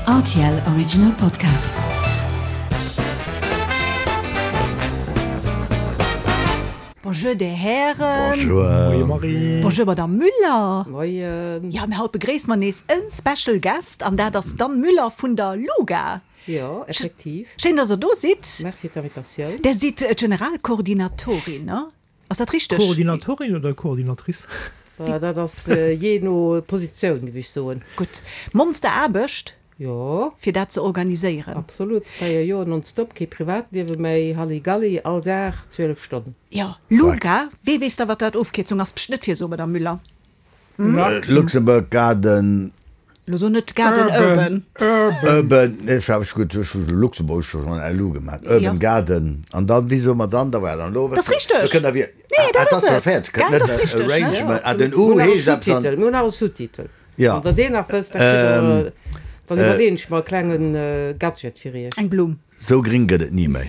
Rtl Original Podcast. Bonjour Dir Hären. Bonjour. Moie Marie. Bonjour Madame Müller. Moien. Jo, mir haut begréisse mer nees en Special Guest an dat ass d'Anne Müller vun der LUGA. Jo, effektiv. Schéin, dass der do sidd. Merci fir d'Invitatioun. Der sidd d'Generalkoordinatorin, ne? Ass dat richteg? Koordinatorin oder Koordinatrice? Dat ass jee no Positioun, géif ech soen. Gutt. Monsteraarbecht, Jo. fir dat ze organiséieren. Absolut. 4 Joer nonstop, kee Privatliewe méi, Halligalli, all Dag 12 Stonnen. Jo. Luga, wee weess da, wat dat Ofkierzung ass? Pscht, net virsoen, Madame Müller. Luxembourg Garden. Lo so net Garden Urban. Urban, nee, ech gutt, ech hu Luxembourg scho schonn LU gemaach. Urban Garden. An dann, wéi soe mer dann? Da war dann elo. Dat ass richteg. Lo kënnt der wier. Nee, dat ass et. Gell, dat ass richteg, ne? Arrangement. Ah, den U heescht eppes an. Mir hunn nach e Sous-Titel. Ja. Wann der deen nach wësst, da kritt der, dann iwwerleeën ech mer e klenge Gadget fir iech. Eng Blumm. Sou gring gëtt et ni méi.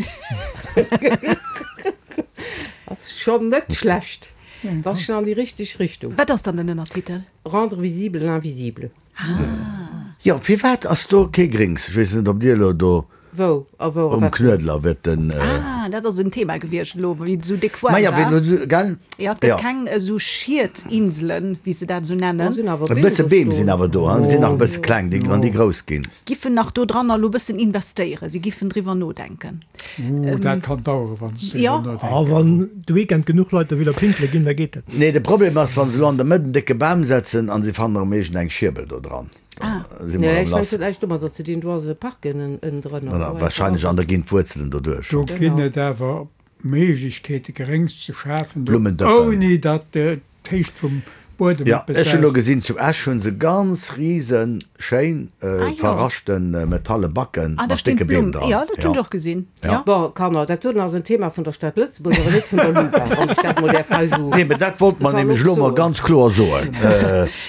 Ass schonn net schlecht. Dat ass schonn an déi richteg Richtung. Wat ass dann den Ënnertitel? Rendre visible l'invisible. Ah. Jo, firwat ass do kee Grings? Ech weess net, ob Dir elo do Wou a wou a um wat? Knuedler wird den. Ah, dat ass en Thema gewiescht elo, wéi et esou déck waarm Maja, war. wéi elo, gell? Jo, et gëtt Jo. keng esou Schietinselen, wéi se dat esou nennen. Do sinn awer E Beem bësse do Beem stoen. sinn awer do, hein? Sinn nach e bësse kleng, déi, wann déi grouss ginn. Giffen nach do dranner elo e bëssen investéieren. Si giffen driwwer nodenken. Ooh, dat kann daueren, wann se Jo. driwwer nodenken. A wann de Weekend genuch Leit derwidder pinkele ginn, da geet dat. Nee, de Problem ass, wa se elo an der Mëtt en décke Bam setzen an se fannen erëm iergend eng Schierbel do dran, da si mer Nee, erëm ech mengen, lass. et huet näischt domadder ze dinn, do ass e Park ënnendrënner. Voilà, wahrscheinlech, an da ginn d'Wuerzelen doduerch. Do ginn et awer Méiglechkeete Gréngs ze schafen, do Blummendëppen. ouni datt d'Héicht vum Buedem Ja, eppes ech hunn elo aus. gesinn, zu Esch hunn se ganz riesen schéin verraschten metalle Backen Ah, da mat stinn décke Beem d'Blumm. dran. Jo, dat hunn Ja. ech och gesinn. Ja. Jo. Bon, Kanner, dat doten ass en Thema vun der Stad Lëtzebuerg, awer net vun der LUGA, wann ech dat mol däerf hei esou Nee, mä dat wollte mer salopp nämlech elo mol soen. ganz kloer soen.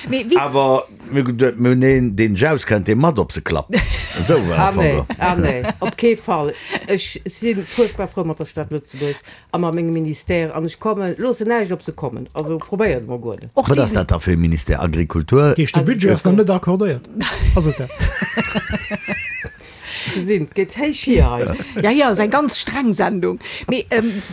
Mee wéi. Awer mir hu geduet, mir hunn een, deen sech auskennt, dee mat op se klappt. Esou war Ah am Fong nee, elo. ah nee, op kee Fall. Ech si fuerchtbar frou mat der Stad Lëtzebuerg a mat mengem Ministère an ech kommen, loossen näischt op se kommen. Also probéiert et mol guer net. Och Wat ass déi. dat da fir e Ministère? Agrikultur? Dat heescht, de Budget ass nach net accordéiert, ass et dat? Gesinn, et geet héich hier hei. Ja, ja, ass eng ganz streng Sendung. Mee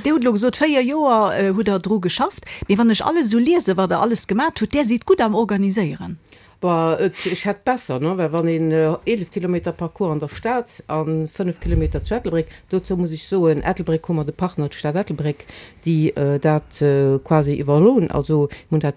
Dir hutt elo gesot, 4 Joer hutt Der dru geschafft. Mee wann ech alles esou liesen, wat Der alles gemat hutt, där sidd gutt am Organiséieren. Bah, et, ech hätt besser, ne, well wann een 11 Kilometer Parcours an der Stad a 5 Kilometer zu Ettelbréck, dozou muss ech soen, Ettelbréck hu mer de Partner, d'Stad Ettelbréck, déi dat quasi iwwerholl hunn, also mir hunn dat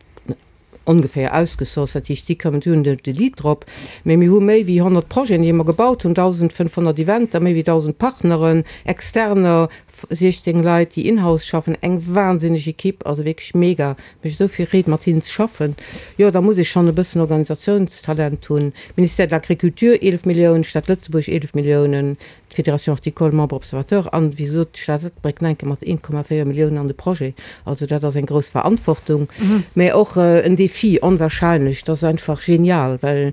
ongeféier ausgesourced, dat heescht si kommen, si hunn de Lead drop, mee mir hu méi wéi 100 Projeten, déi mer gebaut hunn, 1.500 Eventer, méi wéi 1.000 Partneren, Externer, 16 Leit, déi in-house schaffen, eng wahnsinneg Equipe, also wierklech mega, mécht esou vill Freed mat hinnen ze schaffen. Jo, da muss ee schonn e bëssen Organisatiounstalent hunn. Ministère de l'Agriculture 11 Milliounen, Stad Lëtzebuerg 11 Milliounen, d'Fédération Horticole Membre observateur an, wéi gesot, d'Stad Ettelbréck Neinke mat 1,4 Milliounen an de Projet. Also dat ass eng grouss Verantwortung, mä och en Défi, onwahrscheinlech. Dat ass einfach genial, well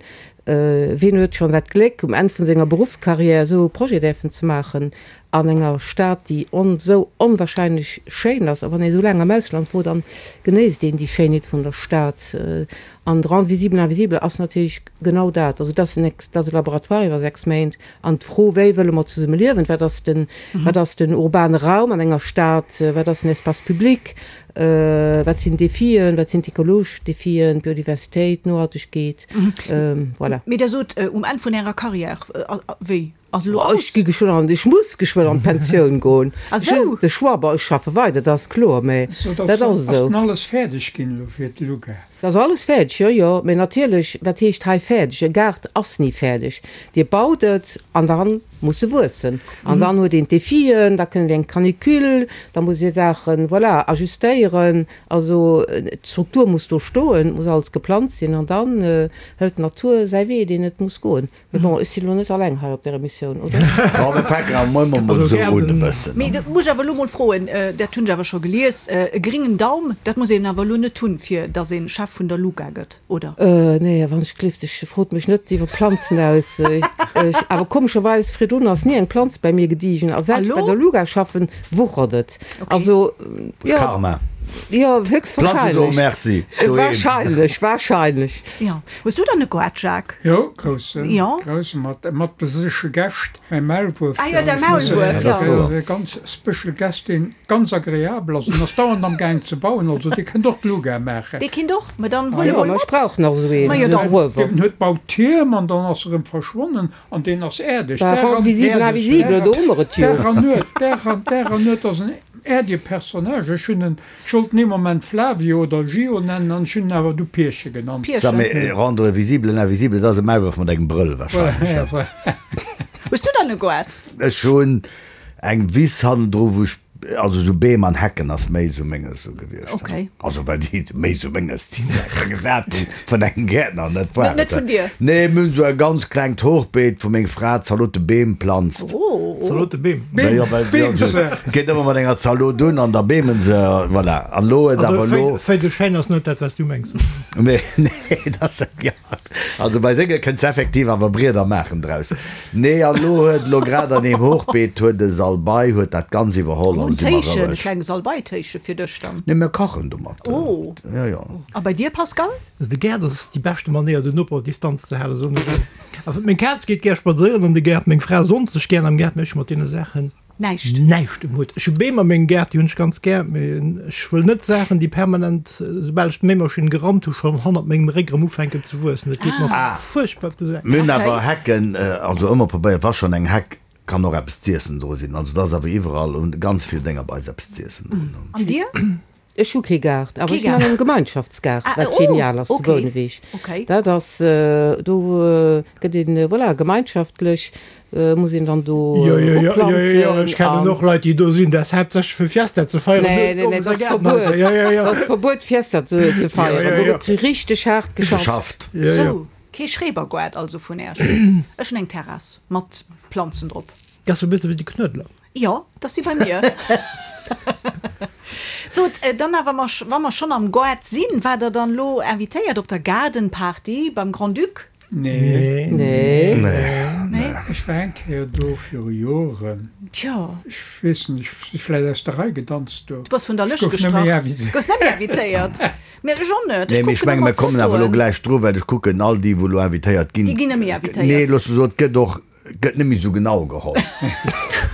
wien huet schonn dat Gléck, um Enn vun senger Beruffscarrière esou e Projet däerfen ze maachen an enger Stad, déi on esou onwahrscheinlech schéin ass. A wann ee esou laang am Ausland wor, dann genéisst een déi Schéinheet vun der Stad. An Rendre visible l'invisible ass natierlech genau dat. Also dat ass en, dat ass e Laboratoire iwwer 6 Méint. An d'Fro, wéi wëlle mer zesumme liewen, wat ass den, wat ass den urbane Raum an enger Stad, wat ass den Espace public, wat sinn d'Defien, wat sinn d'ekologesch Defien, d'Biodiversitéit, Nohaltegkeet, voilà. Mee Der sot, um Enn vun Ärer Carrière, wéi? Ass elo Ech aus? gi geschwënn an, ech muss geschwënn an d'Pensioun goen. Ah Ech hunn sou. de Choix, bon, ech schaffe weider, dat ass kloer, mä So, dat dass ass ass esou. dann alles fäerdeg ginn elo fir d'Luga? Dat ass alles fäerdeg, jo, jo. Mä natierlech, wat heescht hei fäerdeg? E Gaart ass ni fäerdeg. Dir baut et an dann muss e wuessen. An dann huet een d'Defien, da kënnt eng Canicule, da muss ee Saachen, voilà, ajustéieren. Also d'Struktur muss do stoen, et muss alles geplant sinn an dann hëlt d'Natur säi Wee, deen et muss goen. Mee bon, ech sinn elo net alleng hei op där Emissioun, oder? Bon, mir fänken awer mol mol esou un e bëssen. Mee dat muss ech awer elo mol froen, dat hunn ech awer scho gelies, e gringen Daum, dat muss een awer elo net hunn, fir datt een Chef vun der LUGA gëtt, oder? Nee, wann ech gelift, ech frot mech net iwwer Planzen aus. Ech, awer komescherweis, virdrun ass ni eng Planz bei mir gediegen, a säit ech bei der LUGA schaffen, wuchert et. Also, jo. Karma. Jo, Planze soe höchstwahrscheinlech. Merci doheem. Wahrscheinlech, wahrscheinlech. Jo. Hues du dann e Goart, Jacques? Jo, groussen, Jo. groussen, mat, mat besesche Gäscht. Mäi Maulwuerf, Ah jo, däi ech muss Maulwuerf, Dat ass jo. wouer. E ganz special Guest, deen ganz agreabel ass an ass dauernd am Gaang ze bauen, also dee kënnt och d'Luga maachen. Dee kinnt och, ma dann huele Jo, mol ma ech mat. brauch nach esou een, Ma jo, esou e dann. Gruewer. Deen huet baut Tierm an dann ass e rëm verschwonnen an deen ass äerdeg. Bah, Dag rend an, visible invisible, do hu mer et jo. Dag an Nuet, Dag an, Dag an Nuet ass en äerdege Personnage. Ech hunn en Ech wollt en ee Moment Flavio oder Gio nennen an ech hunn en awer du Pierche genannt. Sa, Pierchen. mee rendre visible l'invisible, dat ass e Maulwuerf mat engem Brëll wahrscheinlech, ne? Hues du dann e Goart? Ech hunn eng Wiss hannendru wou ech, also sou Beem an Hecken ass méi sou menges sou gewiescht. Okay. Also well déi méi sou menges, déi Saache gesat ginn vun engem Gäertner, net wahr? Net vun dir? Nee, mir hunn sou e ganz klengt Hochbeet wou meng Fra Zalotebeem planzt. Oh. Zalotebeem? Beem, jo, well Beem se se. geet ëmmer mat enger Zalot un an da beemen se, voilà. An elo huet Also awer elo. Feuille de chêne ass net dat, wat s du mengs. Nee, nee, dat ass net, jo. Also bei senge kënns de effektiv awer Brieder maachen draus. Nee, an elo huet elo grad an deem Hochbeet huet e Salbei huet dat ganz iwwerholl Oh, an en si mer Téichen, e roueg. klenge Salbeitéiche fir dech dann. Nee, mir kachen domat. Oh. Jo, jo. A bei dir, Pascal? Also de Gaart ass déi beschte Manéier den Noper op Distanz ze halen, soen ech ëmmer. Also meng Kaz geet gär spadséieren an de Gaart, meng Fra sonnt sech gär am Gaart, mee ech hu mat deene Saachen Näischt. näischt um Hutt. Ech hu Beem a mengem Gaart, déi hunn ech ganz gär, mee ech wëll net Saachen, déi permanent, soubal ech d'Méimaschinn gerammt hu, schonn hannert mengem Réck erëm ufänken ze wuessen. Dat geet mer fuerchtbar op de Sak. Mir hunn awer Hecken, also ëmmer probéiert, wa schonn eng Heck, kann och eppes z'iessen dru sinn. Also et ass awer iwwerall un ganz vill Dénger bei eis eppes z'iessen drun. An dir? Ech hu kee Gaart, awer Kee ech sinn an Gaart. engem Gemeinschaftsgaart, Ah, wat oh, genial ass zu okay, Bouneweg. okay. Dat ass, do gëtt een, voilà, gemeinschaftlech muss een dann do Jo, jo, jo, jo, jo, uplanzen ech kennen an. och Leit, déi do sinn, dat ass haaptsächlech fir Fiesta ze feieren. Nee, nee, nee, dat ass Verbuet. Jo, jo, jo. Dat ass Verbuet, Fiesta ze, ze Jo, feieren. jo, Do jo. gëtt richteg haart geschafft. Geschafft. Jo, jo. Sou, kee Schrebergoart also vun Äerch. Ech hunn eng Terrass mat Planzen drop. Dat ass e bësse wéi de Knuedler. Jo, dass si bei mir. Sot, dann awer, ma wa mer schonn am Goart sinn, waart Der dann elo invitéiert op der Gaardenparty beim Grand-Duc? Nee. Nee. Nee? Ech war eng Kéier do viru Joren. Tjo. Ech weess net, ech si vläicht aus der Rei gedanzt do. Du bass vun der Ech Lëscht gouf net méi gestrach. invitéiert. Goufs net méi invitéiert? Mee ech och net. Nee, Ech mee ech kucken menge ëmmer mir kommen awer elo d'Fotoen. gläich dru, well ech kucken, all déi wou elo invitéiert ginn. Déi ginn net méi invitéiert. Nee, loosse soen, et gëtt och Gëtt net méi esou genau geholl.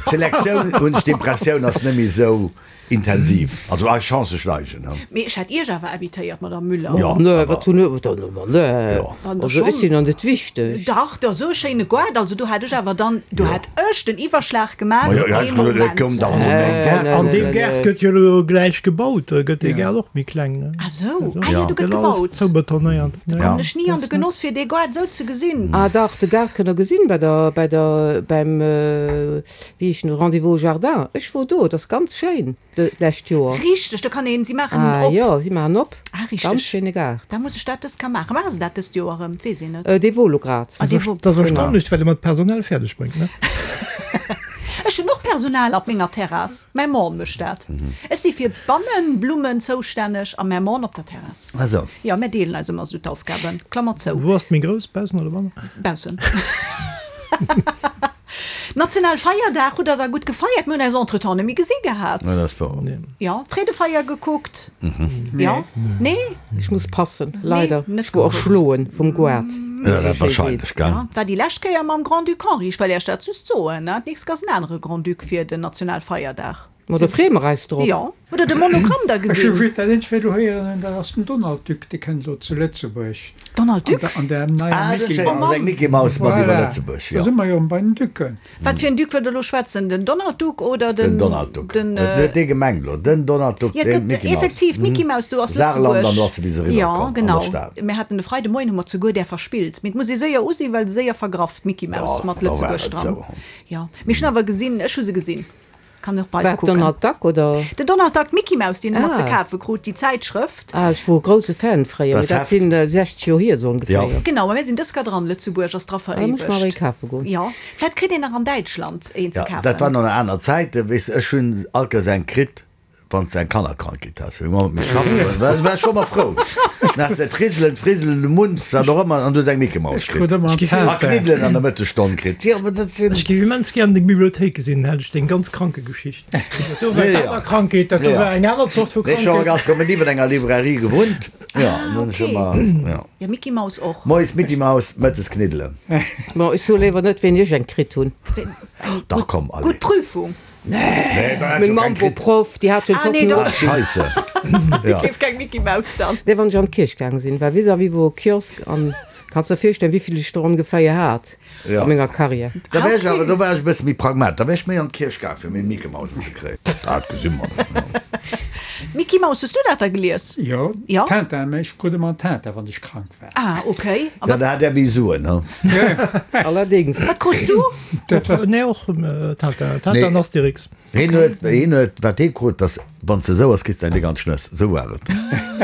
D'Selektioun, hunn ech d'Impressioun, ass net méi esou intensiv. Also eis Chancë steigen. Mee ech hätt Iech awer invitéiert, Madame Müller. Jo, Nee, awer. wat hunn ech dann ëmmer? Nee, Jo. Wann der also ech schonn. sinn an net wichteg. Dach, der esou e schéine Goart, also do hätt ech awer dann, do hätt ech den Iwwerschlag gemaach, Ma jo, jo, ee ech gesot, et koum Moment. dach mol méi Gaart. An deem nee, Gaart nee. gëtt jo elo gläich gebaut, da gëtt dee Gaart och méi kleng, ne? Ah sou, ah jo, do gëtt Gëtt alles gebaut. zoubetonéiert. Da Ja. kommen ech ni an de Genoss fir dee Goart esou ze gesinn. Ah dach, de Gaart kënnt der gesinn bei der, bei der, beim, wéi heescht en, Rendez-vous au Jardin. Ech wor do, et ass ganz schéin de, d'lescht Joer. Richteg, do kann een, si maachen en Ah op. jo, si maachen op. Ah richteg. Ganz schéine Gaart. Da muss ech dat dëst ka maachen. Maache se dat dëst Joer erëm? Weess een net. Dee wor lo grad. Ah dee wor. Dat ass erstaunlech, wat ee mat Personal fäerdeg bréngt, ne? Ech hunn och Personal op menger Terrass. Mäi Mann mécht dat. Ech si fir d'Bannenblummen zoustänneg a mäi Mann op der Terrass. Ah sou. Jo, mär deelen eis ëmmer esou d'Aufgaben. Klammer zou. Wou ass d'méi grouss, baussen oder bannen? Baussen. National Feierdag hutt der da gutt gefeiert? Mir hunn eis entretemps net méi gesi gehat. Ja, dat ass wouer. Jo, Freedefeier gekuckt? Jo? Nee? Ech muss passen, leider. Nee, net Ech wor gekuckt. erschloen vum Goart. Ja, dat wahrscheinlech, gell? Ja, war déi lescht Kéier mam Grand-Duc Henri. Ech well Iech dat just soen, ne? D'nächst Kéier ass en anere Grand-Duc fir den Nationalfeierdag. Ma do freeë mer eis drop. Jo. Hutt Der de Monogramm da Ech hu gesinn? just dat eenzegt wat elo héieren hunn, dat ass den Donald Duck, dee kënnt elo zu Lëtzebuerg. Donald Duck? An der neier Ah, dat Mickey ass Mouse. eng Mickey Mouse mat iwwer Voilà, Lëtzebuerg, do jo. si mer jo erëm bei den Ducken. Wat fir en Duck wëllt Der elo schwätzen? Den Donald Duck oder den. Den Donald Duck. Den, Et huet dee gemengt elo. Den Donald Duck, Ja, et den gëtt Mickey Mouse. effektiv d'Mickey Mouse, do ass Saarland Lëtzebuerg. an do ass se bis eriwwer Ja, komm an genau. der Stad. Mir haten de Freide Moien hu mer zeguer där verspillt. Mee et muss ee séier u sinn, well se séier vergraff, d'Mickey Mouse Ja, mat da war Lëtzebuerg et dran. sou. Jo. Mee ech hunn awer gesinn, ech hu se gesinn. Kann och bei eis Wat, kucken. Donald Duck oder? Den Donald Duck, d'Mickey Mouse, déi en ëmmer ze Ah. kafe krut, déi Zäitschrëft. Ah, ech wor e grousse Fan fréier, mee Das dat Heft. sinn 60 Joer hier esou ongeféier. Ja. Genau, ma mir sinn dës Kéier dran, Lëtzebuerg ass dra Ah, da muss ech mer awer ee veréiwegt. kafe goen. Jo, vläit kritt een nach an Däitschland een ze Ja, dat war kafen. nach aner Zäiten, weess de, ech hunn alt Kéiers eng kritt. Wann s de eng Kannerkrankheet has, wéi mer mat schaffen, war ech scho mol frou. Dann has de d'Riselen, d'Friselen, de Mund, wat och ëmmer, an du hues eng Mickey-Maus kritt. A Kniddelen an der Mëttesstonn kritt. Jo, mä dat sinn. Ech géif immens gären deng Bibliothéik gesinn, hätt ech deng ganz Krankegeschicht. Dat do war Kannerkrankheet, dat do war eng aner Zort vu Krankheet. Ech hu ganz rëm niewent enger Librairie gewunnt. Jo, an hunn ech ëmmer, jo. Jo, Mickey-Maus och. Moies Mickey-Maus, mëttes Kniddelen. Bon, ech soe léiwer net, wéini ech eng kritt hunn. Dach, komm, allez. Gutt Prüfung. Nee, Meng Mamm wor Proff, déi hat schon d'Hoffnung Ah, Scheisse. Déi keeft keng Micky Maus dann. Nee, wann ech an d'Kierch gaang sinn, war vis-à-vis wor e Kiosk an kanns der virstellen, wéivill ech der ongeféier hat a menger Carrière. Da wär ech awer, do war ech e bësse méi pragmat, da wär ech méi an d'Kierch gaang, fir méi Micky Mausen ze kréien. Dat gesi mer dann, jo. Micky Maus, hues du dat da gelies? Jo, Tintin, mä ech krut ëmmer en Tintin, wann ech krank war. Ah, ok. A wat? Da hat där méi Suen, he? Allerdings. Wat krus du? Nee, och Tintin, Tintin an Asterix. Hien huet, hien huet, wat hie krut, dass wann s de esou ass, kriss de eng déck an d'Schnëss. Esou war et.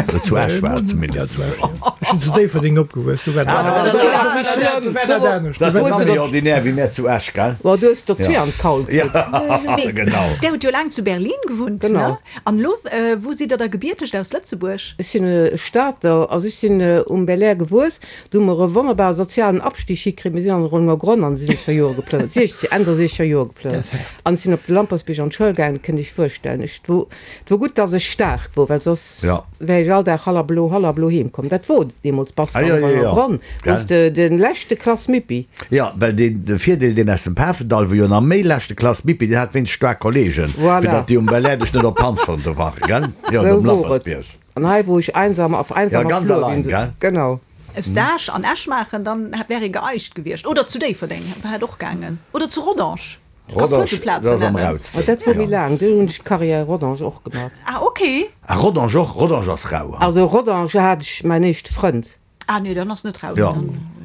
Oder zu Esch war et zumindest esou. Ech sinn zu Déifferdeng opgewuess, do war dat anescht. Dat ass nach méi ordinär wéi mär zu Esch, gell? Bon, du hues der zwee an d'Kaul kritt. Ja, genau. Där hutt jo laang zu Berlin gewunnt, ne? An elo, wou sidd Der da gebiertegt aus Lëtzebuerg? Ech sinn e Stater, also ech sinn um Belair gewuess. Do hu mer e wonnerbare sozialen Abstieg hikritt. Mir sinn an de Rollenger Gronn an de siwwenzeger Jore geplënnert, siechzeg, Enn der siechzeger Jore geplënnert. An ech sinn op de Lampertsbierg an d'Schoul gaangen, kënnt Iech virstellen. Ech, et wor, et wor gutt, dass ech staark wor, well soss wär ech all Dag hallablo, hallablo heem komm. Dat wor deemools, bass de am Rollenger Gronn, wors de de leschte Klass Mippi. Jo, well deen, de Virdeel, deen aus dem Pafendall wor jo nach méi leschte Klass Mippi, deen hat wéinst staark Kollegen, fir datt déi um Belair dech net op d'Panz konnte wachen, gell? Jo, Sou um wor et. Lampertsbierg. An hei wor ech einsam auf Ja, einsamer ganz Flur, allein, wéi gell? Genau. E Stage an Esch maachen, dann wär ee geeicht gewiescht. Oder zu Déifferdeng hätt och gaangen. Oder zu Rodange. Ech ka puer Rodange, sou dat Plazen ass am nennen. rausten. Ma dat wor méi laang, do hunn ech d'Carrière Rodange och gemaach. Ah, ok. Ah, Rodange och? Rodange ass rau, ha? Also Rodange hat ech mäin éischte Frënd. Ah nee, dann ass net rau. Jo,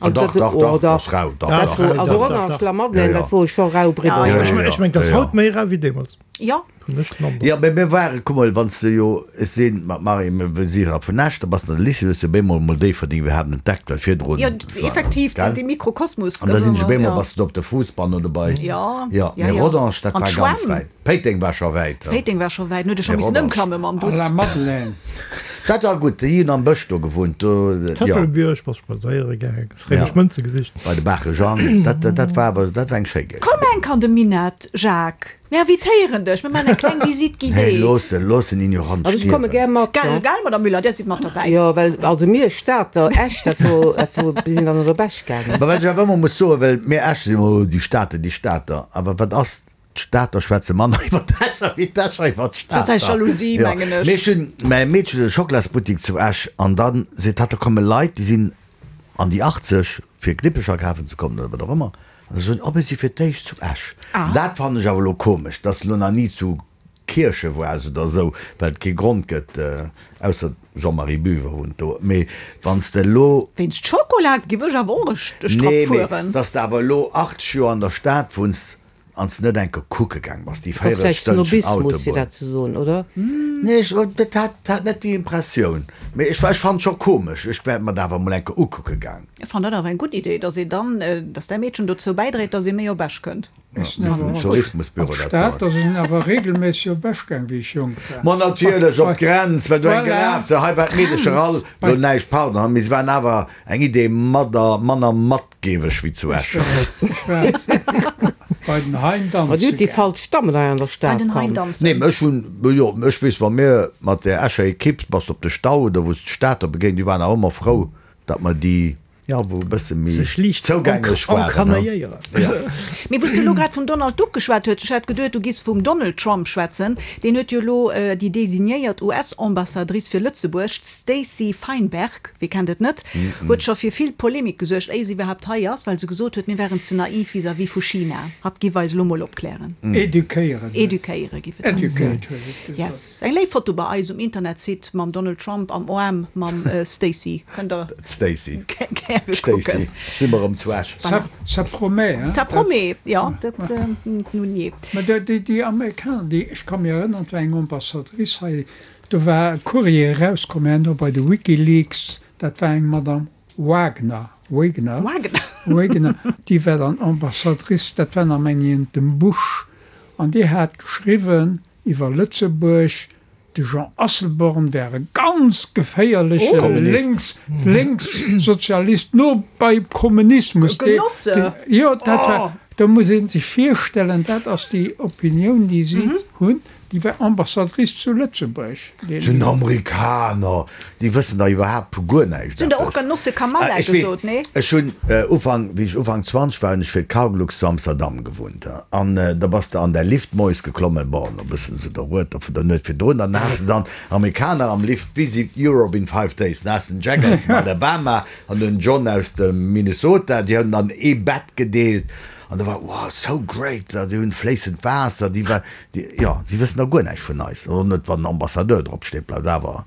ah, dach, dach, dach, ass rau, dach, Dat dach. wor, also Rodange, La Madeleine, dat wor scho rau Bridder. Ja, Ech ja, mengen, dat ass ja. haut méi rau wéi deemools. Jo. Hunn ech den Androck. Jo, mee mir waren, kuck mol, wann s de jo, ech si mat Marie, mir si jo vun Esch, da bass de an de Lycée, hues de op eemol mol Déifferdeng iwwerhaapt entdeckt, well virdrun Jo, war, effektiv, gell? dee Mikrokosmos. An da sinn ech op eemol, bass de do op de Fuussbann oder bei, Jo, jo, jo, mee jo. Rodange, dat An war ganz d'Schwämm. wäit. Péiteng war scho wäit. Péiteng war scho wäit, huet e scho Mee missen Rodange. ëmklamme mam A Bus. La Madeleine. Dat war gutt, déi hunn am Bësch do gewunnt, do, jo. Tëppelbierg, bass spadséiere gaang, Ja. réimesch Mënze gesicht. Bei de Baache Jang, dat, dat war awer, dat war eng schéi Géigend. Komm enk an de Minett, Jacques, mir invitéieren dech, mir maachen eng kleng Visite Nee, guidée. looss en, looss en Ignorant Also ech komme stierwen. gär mat, Gell, Jean. gell, Madame Müller, Dir sidd mat derbäi. Jo, well also mir Stater, Esch, dat wor, dat wor, mir sinn dann och op Esch gaangen. Mä wat ech awer ëmmer muss soen, well mir Escher sinn ëmmer, oh, déi Stater, déi Stater, awer wat ass, D'Stater schwätze manner iwwer d'Escher wéi d'Escher iwwer d'Stater. Dat ass eng Jalousie, mengen ech. Mee ech hunn, mäi Meedchen huet e Schokolasbuttik zu Esch an da seet hatt, da komme Leit, déi sinn an déi 80, fir Knippecher kafen ze kommen oder wat och ëmmer, an da soen, oh mir si fir d'éischt zu Esch. Dat fannen ech awer elo komesch, dass se elo nach ni zu Kierche waars oder esou, well et kee Grond gëtt, ausser Jean-Marie Biwer wunnt do, mee wann s de elo. Wéinst Schokola giff ech awer och e Strapp Nee, mee fueren. dass de awer elo 80 Joer an der Stad wunns an s net enke kucke gaang bass, déi Dat ass vläicht Véierelstënnchen Snobismus, fir Autobunn. dat ze soen, oder? Nee, ech dat hat hat net déi Impressioun, mee ech ech fannen et scho komesch, ech wäert mer dat awer mol enke ukucke gaang. Ech fannen dat awer eng gutt Idee, dass een dann, dass däi Meedchen dozou bäidréit, dass ee méi op Esch kënnt. Ech sinn awer och Tourismusbüro an dat d'Stad, soen. da sinn awer regelméisseg op Esch gaang, wéi ech jonk war. Ma natierlech, op d'Grenz, well do eng Voilà. gelaf se. Hei war d'Meedecher all, lo näischt, pardon, mee se waren awer eng Idee madder, manner matgeweg wéi zu Ech Esch. war, ech war bei den Hein Ma danze dir hutt déi gaang. falsch Dammen hei an der Bei Stad den Hein kannt. danzen. Nee, mä ech hunn, jo, ech weess, wa mir mat där Escher Ekipp, bass de op de Stau oder wou s d'Stater begéint, déi waren awer ëmmer frou, datt mer déi, Jo, wou e bësse méi Sech liicht zougänglech waren. encanailléieren. Ja. Mee wou s de elo grad vum Donald Duck geschwat huet, ech hat geduet, du giss vum Donald Trump schwätzen, deen huet jo elo déi designéiert US-Ambassadrice fir Lëtzebuerg, d'Stacey Feinberg, wie kennt et net, huet scho fir vill Polemik gesuergt, éier se iwwerhaapt hei ass, well se gesot huet, mir wären ze naiv vis-à-vis vu China. Hatt giff eis elo mol opklären. Eduquéieren. Eduquéiere giff et eis. Educate huet et gesot. Yes. Eng léif Foto bei eis um Internetsite mam Donald Trump am Oarm mam Stacey. Kënnt der. D'Stacy. Gäre D'Stacy. kucken. Si mer erëm zu Esch. Ça, ça promet, hein? Ça promet, jo, dat, nun jee. Mä déi, déi, déi Amerikaner, déi, ech ka mir erënnern, et war eng Ambassadrice hei, do war e Courrier erauskomm herno bei de WikiLeaks, dat war eng Madame Wagner, Wegner, Wagner. Wagner, déi war dann Ambassadrice, dat war nach, mengen ech, dem Bush, an déi hat geschriwwen iwwer Lëtzebuerg. De Jean Asselborn wär e ganz geféierleche Lénks, Lénkssozialist, no beim Kommunismus. Genosse! Jo, dat war, do muss ee sech virstellen, dat ass déi Opinioun, déi si hunn. Déi war Ambassadrice zu Lëtzebuerg. Dat sinn Amerikaner, déi wëssen da iwwerhaapt vu guer näischt Hunn der och eppes. Genosse Kamala Ech weess, gesot, nee? ech hunn Ufank, wéi ech Ufank 20 war, hunn ech fir d'Cargolux zu Amsterdam gewunnt. An da bass de an däi Lift moies geklommen, bon, e bëssen esou der Rueter vun der Nuet virdrun, dann has de dann Amerikaner am Lift, Visit Europe in five days, dann has de den Jack aus dem Alabama an den John aus dem Minnesota, déi hunn dann ee Bett gedeelt. An da war, wow, so great, déi hunn fléissend Waasser, déi war, déi, jo, si wëssen da guer näischt vun eis. Och net, wann Ambassadeur drop steet, bleift awer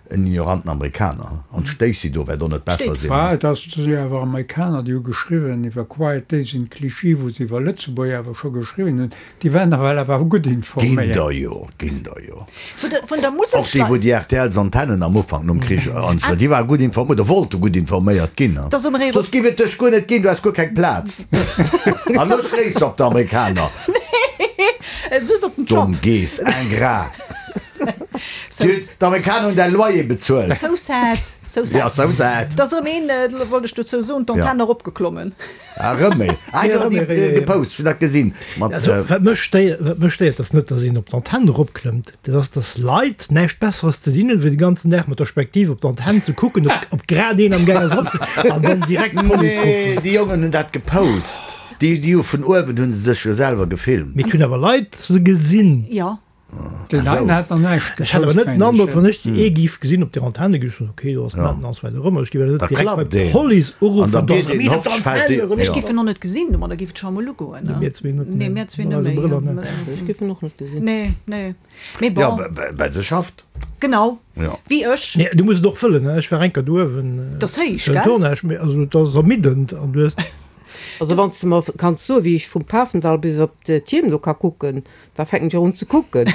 en ignoranten Amerikaner. An d'Stacey do wäert och net besser sinn. Bah, et ass, et si awer Amerikaner, déi hu geschriwwen iwwer Quiet Days in Clichy, wou se iwwer Lëtzebuerg awer scho geschriwwen hunn. Déi waren nawell awer gutt Ginn informéiert. der jo, ginn der jo. Vun der, vun der Musel Och déi, wou déi RTLs-Antennen am Ufank nom Krich an esou, déi ware gutt informéiert, oder wollte gutt informéiert ginn. Dass um Ree. Soss giff et dech guer net ginn, du häss guer keng Plaz. An elo schléiss de op d'Amerikaner. Nee, just op den Domm Trump. Geess, ingrat. So, D'Amerikaner hunn däi Loyer bezuelt. so sad, so sad. Ja, so sad. Dass erëm een, wollt ech dozou soen, d'Antenn eropgeklommen. Ah, rëm méi. Ah, jo, déi gepost, ech hunn dat gesinn. Mat, Also, wat mech stéiert, wat mech stéiert, ass net, datt een op d'Antenn eropklëmmt, dat ass, datt Leit näischt Besseres ze dinn hunn, wéi de ganzen Dag mat der Spektiv op d'Antenn ze kucken, ob, ob grad een am Gaang ass erop ze, an dann direkt d'Police nee, ruffen. déi Jongen hunn dat gepost. Déi, déi hu vun uewen hu se sech jo selwer gefilmt. Mee et hunn awer Leit se gesinn. Jo. Deen heien hat nach näischt Ech hätt awer gepost, net den mengen Androck, ech. wann ech déi ee giff gesinn op der Antenne, giff ech soen, okay, do ass d'Maintenance, wat och ëmmer. Ech giff awer net Da direkt bei klappt een. d'Police An uruffen, da do biet ass erëm een een op hoffentlich fält d'Antenne, déi. erëm Ech Ja. giff en och net gesinn, domadder giff et scho emol ugoen, ne? Mir zwee net, Nee, nee. mir zwee Mat net eise méi. Brëller, ne. Ech giff en och net gesinn. Nee, nee. Mee Ja, bon, well se schafft. genau, Ja. wéi ech. Nee, du muss et och wëllen, ne? Ech war eng Kéier do uewen, Dat ass héich, den gell? Tournage, mee also dat ass ermiddend an du hues. Also wann s de mer kanns soen, wéi ech vum Pafendall bis op d'Tierm do ka kucken, Da fänken ech och un ze kucken.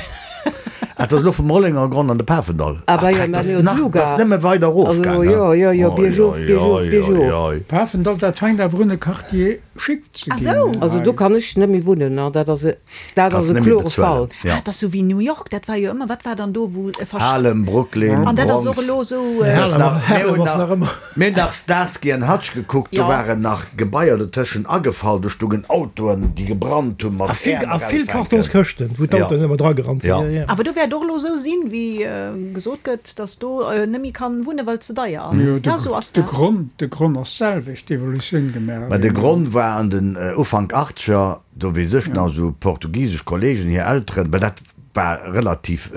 Ah, dat ass elo vum Rollengergronn an de Pafendall. Ah, Ach bah jo, Dreck, mä dat mir ass hunn nach, d'Luga. dat ass nëmme weider erof Also gaang, jo, jo, jo, biergof, Oi, biergof, oi, biergof. oi, oi. Pafendall, dat fänkt awer un e Quartier chic ze Ah ginn sou. Also do hei. kann ech net méi wunnen, ne, dat ass e, dat Kanns ass e net méi klore bezuelen, Fall. ja. Ah, dat ass sou wéi New York, dat war jo ëmmer, wat war dann do, wou e versch. Harlem, Brooklyn, An dat ass och Bronx. elo sou. Harlem, Harlem, nach, mir Harlem hunn ass nach, nach ëmmer. Mir hunn nach Starsky and Hutch gekuckt, do waren nach Gebaier dotëschent agefall, do stungen Autoen, déi gebrannt hunn, mat A vill, Äerm a vill eraushänken. Kartonskëschten, wou d'Autoen ëmmer dragerannt sinn. Ja. Ja, ja. Awer do wäert och elo esou sinn, wéi gesot gëtt, datt do net méi kann wunne well et ze deier ass. Jo, de, Ja, esou ass de dat. Gronn, de Gronn ass d'selwecht, d'Evolutioun gemaach. Mä de Gronn war an den Ufank Achtzeger, do weess ech nach, esou portugisesch Kollegen, hir Elteren, well dat war relativ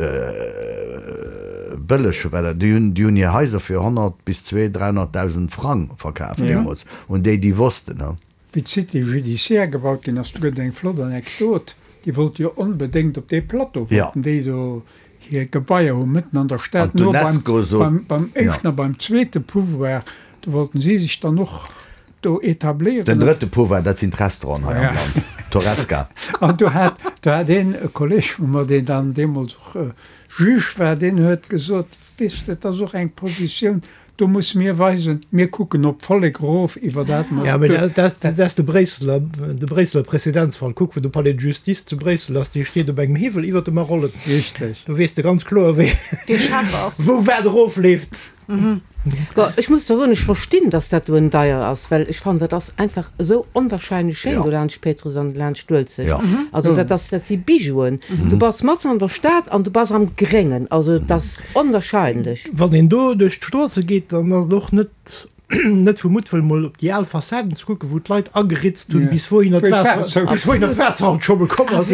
bëlleg, well déi hunn, déi hunn hir Haiser fir 100 bis 200, 300.000 Frang verkaf deemools, un déi, déi wossten. Wéi d'Cité judiciaire gebaut ginn ass, do gëtt et eng flott Anekdot, déi wollte jo onbedéngt op dee Plateau, wollten déi do hir Gebaier hu mëtten an der Stad, no beim, beim éischten a beim zweete Pouvoir, do wollten si sech dann och do etabléieren. Den drëtte Pouvoir, dat sinn d'Restauranten hei am Land, d'Horesca. An do hat, do hat een, e Kolleg vu mer, deen dann deemools och Juge war, deen huet gesot, Weess de, et ass och eng Positioun, do musse mir weisen, mir kucken op d'Vollek erof, iwwer dat mer. Jo, mee dat ass, dat ass de Bréisseler, de Bréisseler Prezedenzfall. Kuck, wou de Palais de Justice zu Bréissel ass, dee steet op engem Hiwwel iwwer de Marollen. Richteg. Do weess de ganz kloer, wéi, Wee Chef ass. wou wat erofleeft. Bon, ech muss zwar soen, ech verstinn, dass dat do en deier ass, well ech fannen, dat ass einfach esou onwahrscheinlech schéin do laanscht Péitruss an laanscht d'Uelzecht. Also dat ass, dat si Bijouen. Du bass matzen an der Stad an du bass am Gréngen. Also et ass onwahrscheinlech. Wann een do duerch d'Stroosse geet, dann ass et och net net vu Muttwëll mol op déi al Fassaden ze kucken, wou d'Leit ageritzt hunn, bis wouhinner d'Waasser, bis wouhinner d'Waasser alt scho bekomm ass.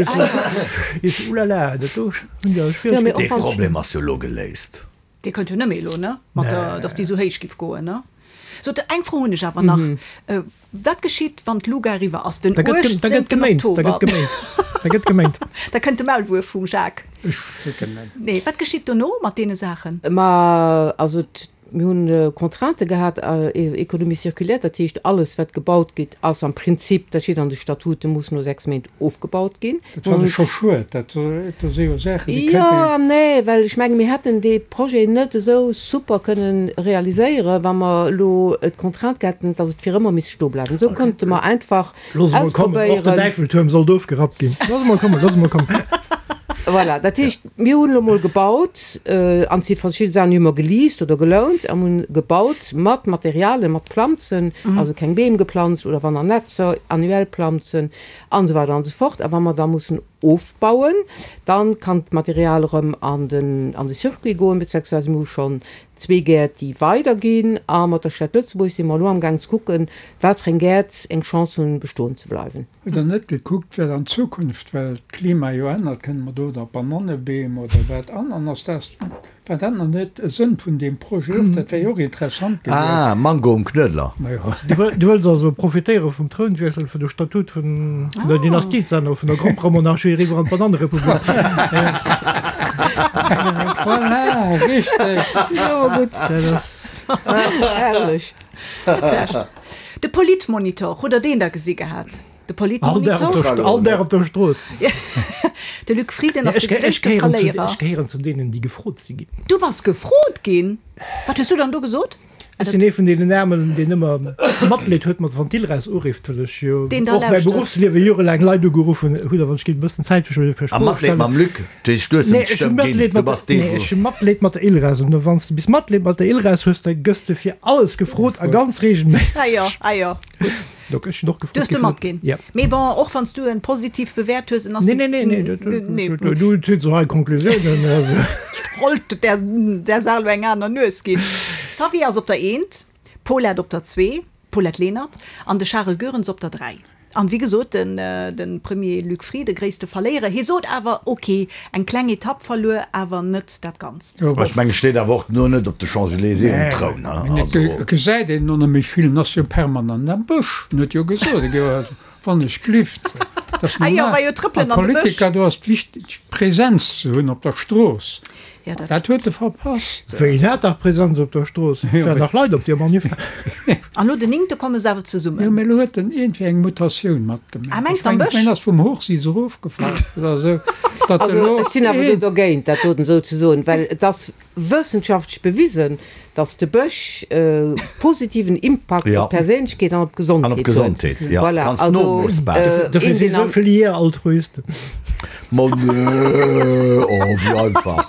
Is ulala, dat do hunn der Schwieregkeeten. Dee Problem ass jo elo geléist. Dir kënnt jo net méi elo, ne? Mat der, dass déi esou héich giff goen, ne? Sot, eng Fro hunn ech awer nach. Wat geschitt, wann d'Luga eriwwer ass, den Da gëtt, da 18. gëtt geméint, da Oktober? gëtt geméint, da gëtt geméint. Da kënnt de Maulwuerf vum Jacques. Ech kucken net. Nee, wat geschitt dono mat deene Saachen? Ma also mir hunn Contraintë gehat, Économie circulaire, dat heescht alles wat gebaut gétt ass am Prinzip, dat steet an de Statuten, muss no 6 Méint ofgebaut ginn. Dat fannen ech scho schued. Dat do si jo Saachen, déi Jo kéint een. an nee, well ech menge mir hätten dee Projet net esou super kënnen realiséieren, wa mer elo d'Contrainte gehat hätten, datt et fir ëmmer misst stoe bleiwen. Esou konnte mer einfach Looss emol kommen, och den ausprobéieren. Äiffeltuerm sollt ofgerappt ginn. Looss emol kommen, looss emol kommen. Voilà, dat heescht, mir hunn elo mol gebaut, an et si verschidde Saachen, déi hu mer geleast oder gelount, an hunn gebaut mat Materialien, mat Planzen, also keng Beem geplanzt oder wann an Netzer, annuell Planzen an esou weider an esou fort. A wa mer da mussen ofbauen, dann kann d'Material erëm an den an de Circuit goen, beziehungsweise mir hu schonn zwee Gäert, déi weiderginn. A mat der Stad Lëtzebuerg si mer elo amgaang ze kucken, wat fir eng Gäert eng Chance hunn, bestoen ze bleiwen. Hutt Der net gekuckt, wat an Zukunft, well d'Klima jo ännert, kënne mer do da Banannebeem oder wat an? An ass dat, war dat nach net e Sënn vun deem Projet och? Dat wär jo och interessant gewiescht. Ah, Mango um Knuedler. Majo. Du wëlls also profitéiere vum Trounwiessel, fir de Statut vun der Dynastie ze änneren, vun der Gromperemonarchie eriwwer an d'Banannerepublik. Voilà, richteg. Jo, gutt. Dat ass. Herrlech. Net schlecht. De Politmonitor, hutt der deen da gesi gehat? De Politmonitor? All Dag op der Strooss. De Luc Frieden ass de gréisste Verléierer. Ech gehéieren zu deenen, déi gefrot si ginn. Du bass gefrot ginn? Wat hues du dann do gesot? Ech sinn ee vun deenen Aarmen, deen ëmmer Matleed huet mat wann d'Ilres urifft, well ech jo och mäi Beruffsliewe jorelaang Leit ugeruffen hunn. A wann ech géint e bëssen Zäit fir mech A Matleed mam Luc? Du heescht, du hues em d'Stëmm ginn, du bass dee wou. Ech hu Matleed mat der Ilres. An wann s de bis Matleed mat der Ilres hues, da gëss de fir alles gefrot a ganz reegelméisseg. Ah jo, ah jo, gutt. Donc ech sinn och gefrot Du hues de matginn. Ja. Mee bon, och wann s du en positiv bewäert hues, en ass de. Nee, nee, nee, nee, nee, du zitt sou hei Konklusiounen, also. Ech wollt der der Saach elo eng aner Nues ginn. Xavier ass op der Eent, Paulette op der Zwee. D'Paulette Lenert an de Charel Goerens op der 3. An wéi gesot, de Premier Luc Frieden, gréisste Verléierer. Hie sot awer, ok, eng kleng Etapp verluer, awer net dat Ganzt. Ech mengen, steet awer och no net op de Champs-Elysées um Troun. Et gesäit een no net méi vill, en ass jo permanent am Bësch. En huet jo gesot, e géif, wann ech glift, dat ass normal. A Politiker, do ass et wichteg, Präsenz ze hunn op der Strooss. Dat huet e verpasst. Wéi hat dach Präsenz op der Strooss? Et waren dach Leit op deer Manif. An no den Néngte komme se awer zesummen. Jo, mee elo huet en iergendwéi eng Mutatioun matgemaach. Ah, mengs de am Bësch? Ech mengen, en ass vum Hochsitz erofgefall oder esou, datt Also, elo ech sinn awer do dergéint, dat doten esou ze soen, well et ass wëssenschaftlech bewisen, dass de Bësch e positiven Impakt op d'Perséinlechkeet an op d'Gesondheet huet. Voilà, also Dofir si sou vill Jeeër Altruisten. Ma nee, oh wéi einfach.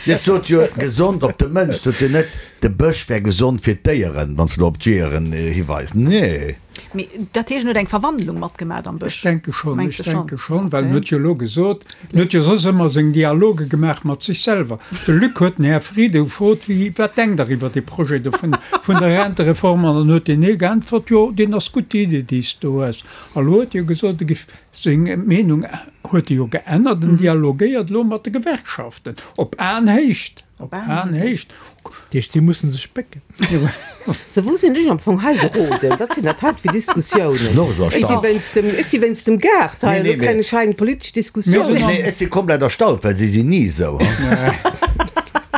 Et sot jo gesond op de Mënsch, sot jo net de Bësch wär gesond fir d'Déieren, wann s de lo op d'Jeeëren hiweis. Nee. Mee dat heescht, en huet eng Verwandlung matgemat am Bësch? Ech denke schonn, ech denke schonn, well en huet jo elo gesot, en huet jo soss ëmmer seng Dialoge gemaach mat sech selwer. De Luc huet den Här Frieden gefrot, wéi, wat denkt Der iwwer dee Projet do vun, vun der Rentereform? An dann huet deen ee geäntwert, jo, deen ass gutt, déi Idee, déi s de do hues. A lo huet e jo gesot, e géif seng Meenung huet e jo geännert, en dialogéiert elo mat de Gewerkschaften op Aenhéicht. Op Aenhéicht. Dat heescht, si mussen sech bécken. Sou, wou sinn ech am Fong hei geroden? Wat sinn dat hei fir Diskussiounen? Ech si wéinst dem, ech si wéinst dem Gaart hei, elo kréien ech hei eng politesch Diskussioun. Nee, ech si komplett erstaunt, well si sinn ni esou.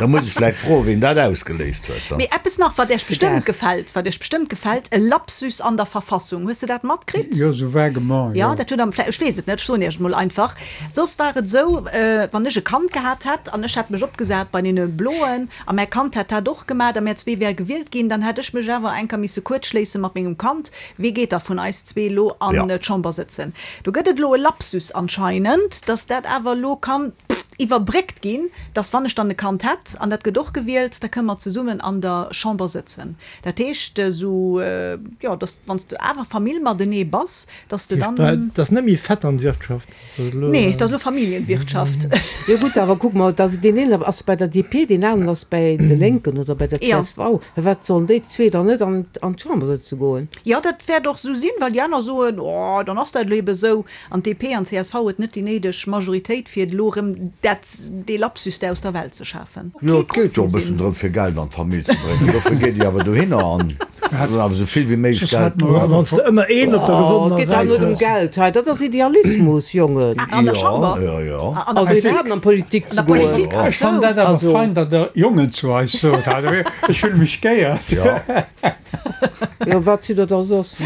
Da muss ech vläicht froen, wien dat ausgeléist huet. Mee eppes nach, wat Iech bestëmmt gefält, wat Iech bestëmmt gefält, e Lapsus an der Verfassung. Hues de dat matkritt? Jo, sou vaguement, jo. Jo, dat huet am, ech weess et net, ech soen Iech et mol einfach. Soss war et esou, wann ech e Kand gehat hätt an ech hätt mech opgesat bei deene Bloen a mäi Kand hätt dat och gemat a mär zwee wäre gewielt ginn, dann hätt ech mech awer eng Kéier misse kuerzschléisse mat mengem Kand, Wee geet da vun eis zwee elo an d'Chamber sëtzen? Do gëtt et elo e Lapsus anscheinend, datt dat awer elo kann iwwerbréckt ginn, datt wann ech dann e Kand hätt an dat gëtt och gewielt, da kënne mer zesummen an der Chamber sëtzen. Dat heescht esou, jo, datt wann s de awer Famill matenee bass, datt s de dann. Dat ass net méi Vetternwirtschaft. Nee, dat ass elo Familljenwirtschaft. Jo gutt, awer kuck mol, dass deen een ass bei der DP, deen aneren ass bäi de Lénken oder bäi der csv. Firwat sollen déi zwee dann net an d'Chamber sëtze goen? Jo, dat wäert och esou sinn, well déi aner soen, oh, dann ass dat elo ebe esou. An d'DP an d'CSV huet net déi néideg Majoritéit, fir elo erëm dat, dee Lapsus da aus der Welt ze schafen. Jo, et geet jo e bëssen drëm, fir Geld an d'Famill ze bréngen. Dofir geet Dir awer dohinner an soll awer esou vill wéi méiglech Geld. Wann s de ëmmer een op der gewonnener Säit hues. Et geet awer net ëm Geld hei, dat ass Idealismus, Jongen. An der Chamber? Jo, jo. Also iwwerhaapt an d'Politik ze goen. Ech fannen dat awer fein, datt Der Jongen zu eis sot. Ech fülle mech geéiert. Jo, wat sidd der da soss?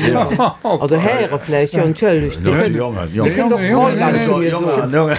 Also Häre vläicht, jo, entschëllegt. Dir kënnt, Dir kënnt och Fräulein zu mir soen.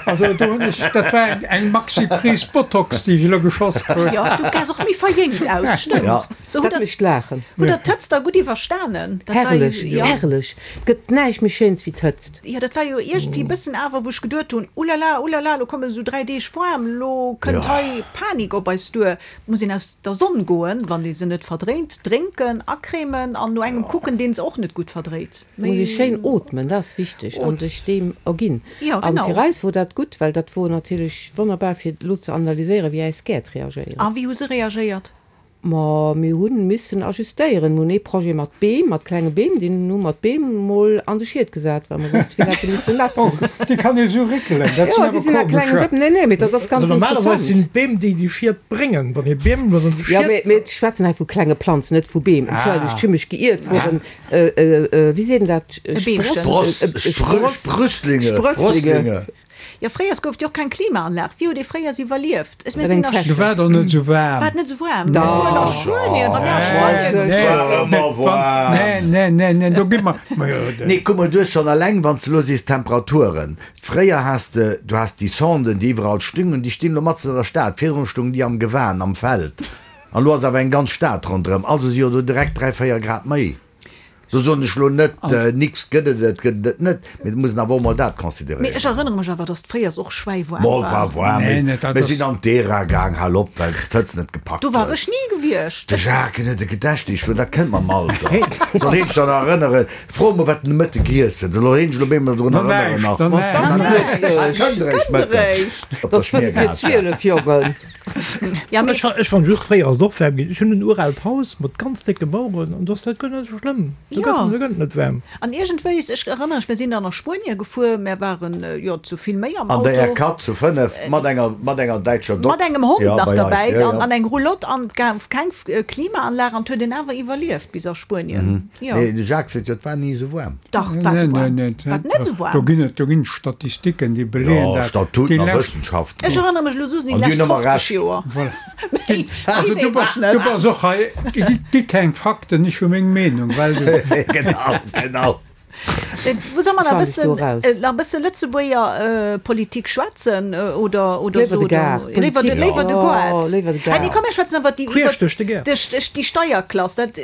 Also do hunn ech, dat war eng, eng Maxi-Prise Botox, déi ech elo geschoss krut. Jo, du gesäis och méi verjéngt aus, stëmmt. So, dat mécht laachen. Hutt der d'Hëtzt da gutt iwwerstanen? Dat war Herrlech, jo. Herrlech. Et gëtt näischt méi Schéins wéi d'Hëtzt. Jo, dat war jo iergendwéi e bëssen awer, wou ech geduet hunn, Ulala, ulala, lo kommen esou 3 Deeg waarm, lo kënnt hei Panik op eis duer. Et muss een aus der Sonn goen, wann ee se net verdréint, drénken, acremen an no engem kucken, deen se och net gutt verdréit. Et muss ee schéin ootmen, dat ass wichteg, an sech deem erginn. An fir eis wor dat gutt, well dat wor natierlech wonnerbar fir elo ze analyséieren, wéi äis Gäert reagéieren. A wéi hu se reagéiert? Ma mir hu missen ajustéieren. Mir hunn ee Projet mat Beem, mat klenge Beem, deen hu mer d'Beem mol an de Schiet gesat, well mer soss ze vill hätte missen nätzen. Oh, déi kann ee sou réckelen, dat sinn Jo, déi awer sinn a klengen komescher. Dëppen. Nee, nee, mee dat ass ganz Also normalerweis interessant. sinn d'Beem déi déi Schied bréngen. Wann ee Beem an de Jo, Schiet. mee mir schwätzen hei vu klenge Planzen, net vu Beem. Entschëllegt, ech hu mech geiert. Woren, wéi seet een dat? E Beemchen. Spross, Spross, Sprüsslinge, Sprösslinge. Sprösslinge. Jo, fréiers gouf et jo och keng Klimaanlag. Wéi huet ee fréiers iwwerlieft? Ech Mat engem Du Fläschchen. war der net esou waarm. War et net esou waarm? Obwuel a Spuenien, wa mir a Spuenien Et war ëmmer waarm. Nee, nee, nee, nee, do gi mer, ma jo, de. Nee, kuck mol, du hues schonn eleng, wann s de elo sees Temperaturen, fréier has de, du has déi Sonden, déi iwwerall stungen, déi stinn elo matzen an der Stad, virdrun stungen déi am Gewan, am Feld, an elo ass awer eng ganz Stad ronderëm, also si jo do direkt 3, 4 Grad méi. Do soen ech elo net, nix gëtt et, et gëtt et net, mee et muss een awer och mol dat Mee consideréieren. ech erënnere mech awer, datt fréiers och schwäiwaarm Mol war. war waarm, Nee, mee nee, dat mir ass. sinn an d'Era gaang, hal op, well s d'Hëtzt net gepackt Do war huet. ech ni gewiescht. De Jacques huet e Gedächtnis, dat kënnt mam Alter. Soll een sech dann erënneren, fro emol wat en de Mëtte giess huet, soll een sech elo bemol drun Na erënneren näischt, nach. na näischt. Na näischt, kënnt eréischt Kënnt Mëtten eréischt. op Et der ass fënnef vir Schmiergehalt. 12, Jongen. Ja, mee. Ech ech fann just fréier ass et och waarm ginn. Ech hunn en uraalt Haus mat ganz décke Maueren an do ass dat guer net esou schlëmm. Do gëtt Jo. do gëtt et net waarm. An iergendwéis, ech erënnere mech, mir sinn dann a Spuenie gefuer, mär waren, jo, zu vill méi am An der Auto. R4 zu 5 mat enger mat enger däitscher Dok. Mat engem Hond Ja, nach bei eis, derbäi ja, an ja. an eng Roulotte an et gouf keng Klimaanlag an et huet een awer iwwerlieft bis a Spuenien. Jo. Mee de Jacques seet jo, et war ni esou waarm. Dach, et war Nee, esou nee, waarm. nee, War et net esou do waarm? ginn et, do ginn et Statistiken, déi beleeën Jo, dat. Déi Statuten a lescht. Wëssenschaften. Ech erënnere mech elo soss un déi An déi lescht hunn ëmmer 50 Recht. Joer. Voilà. Méi, Also méi du weess bass, ech net. du bass och hei, gi, gi keng Fakten, ech hu meng Meenung, well du. Genau, genau. Wou soll mer nach e Schalt ech do bëssen, raus. nach e bësse Lëtzebuerger Politik schwätzen oder, oder Léiwer so de Gaart, léiwer de, Politik, léiwer de oh, Goart. léiwer de Ah nee, Gaart. komm mir schwätzen iwwer déi, Queesch iwwer duerch de Gaart. de, déi Steierklass, dat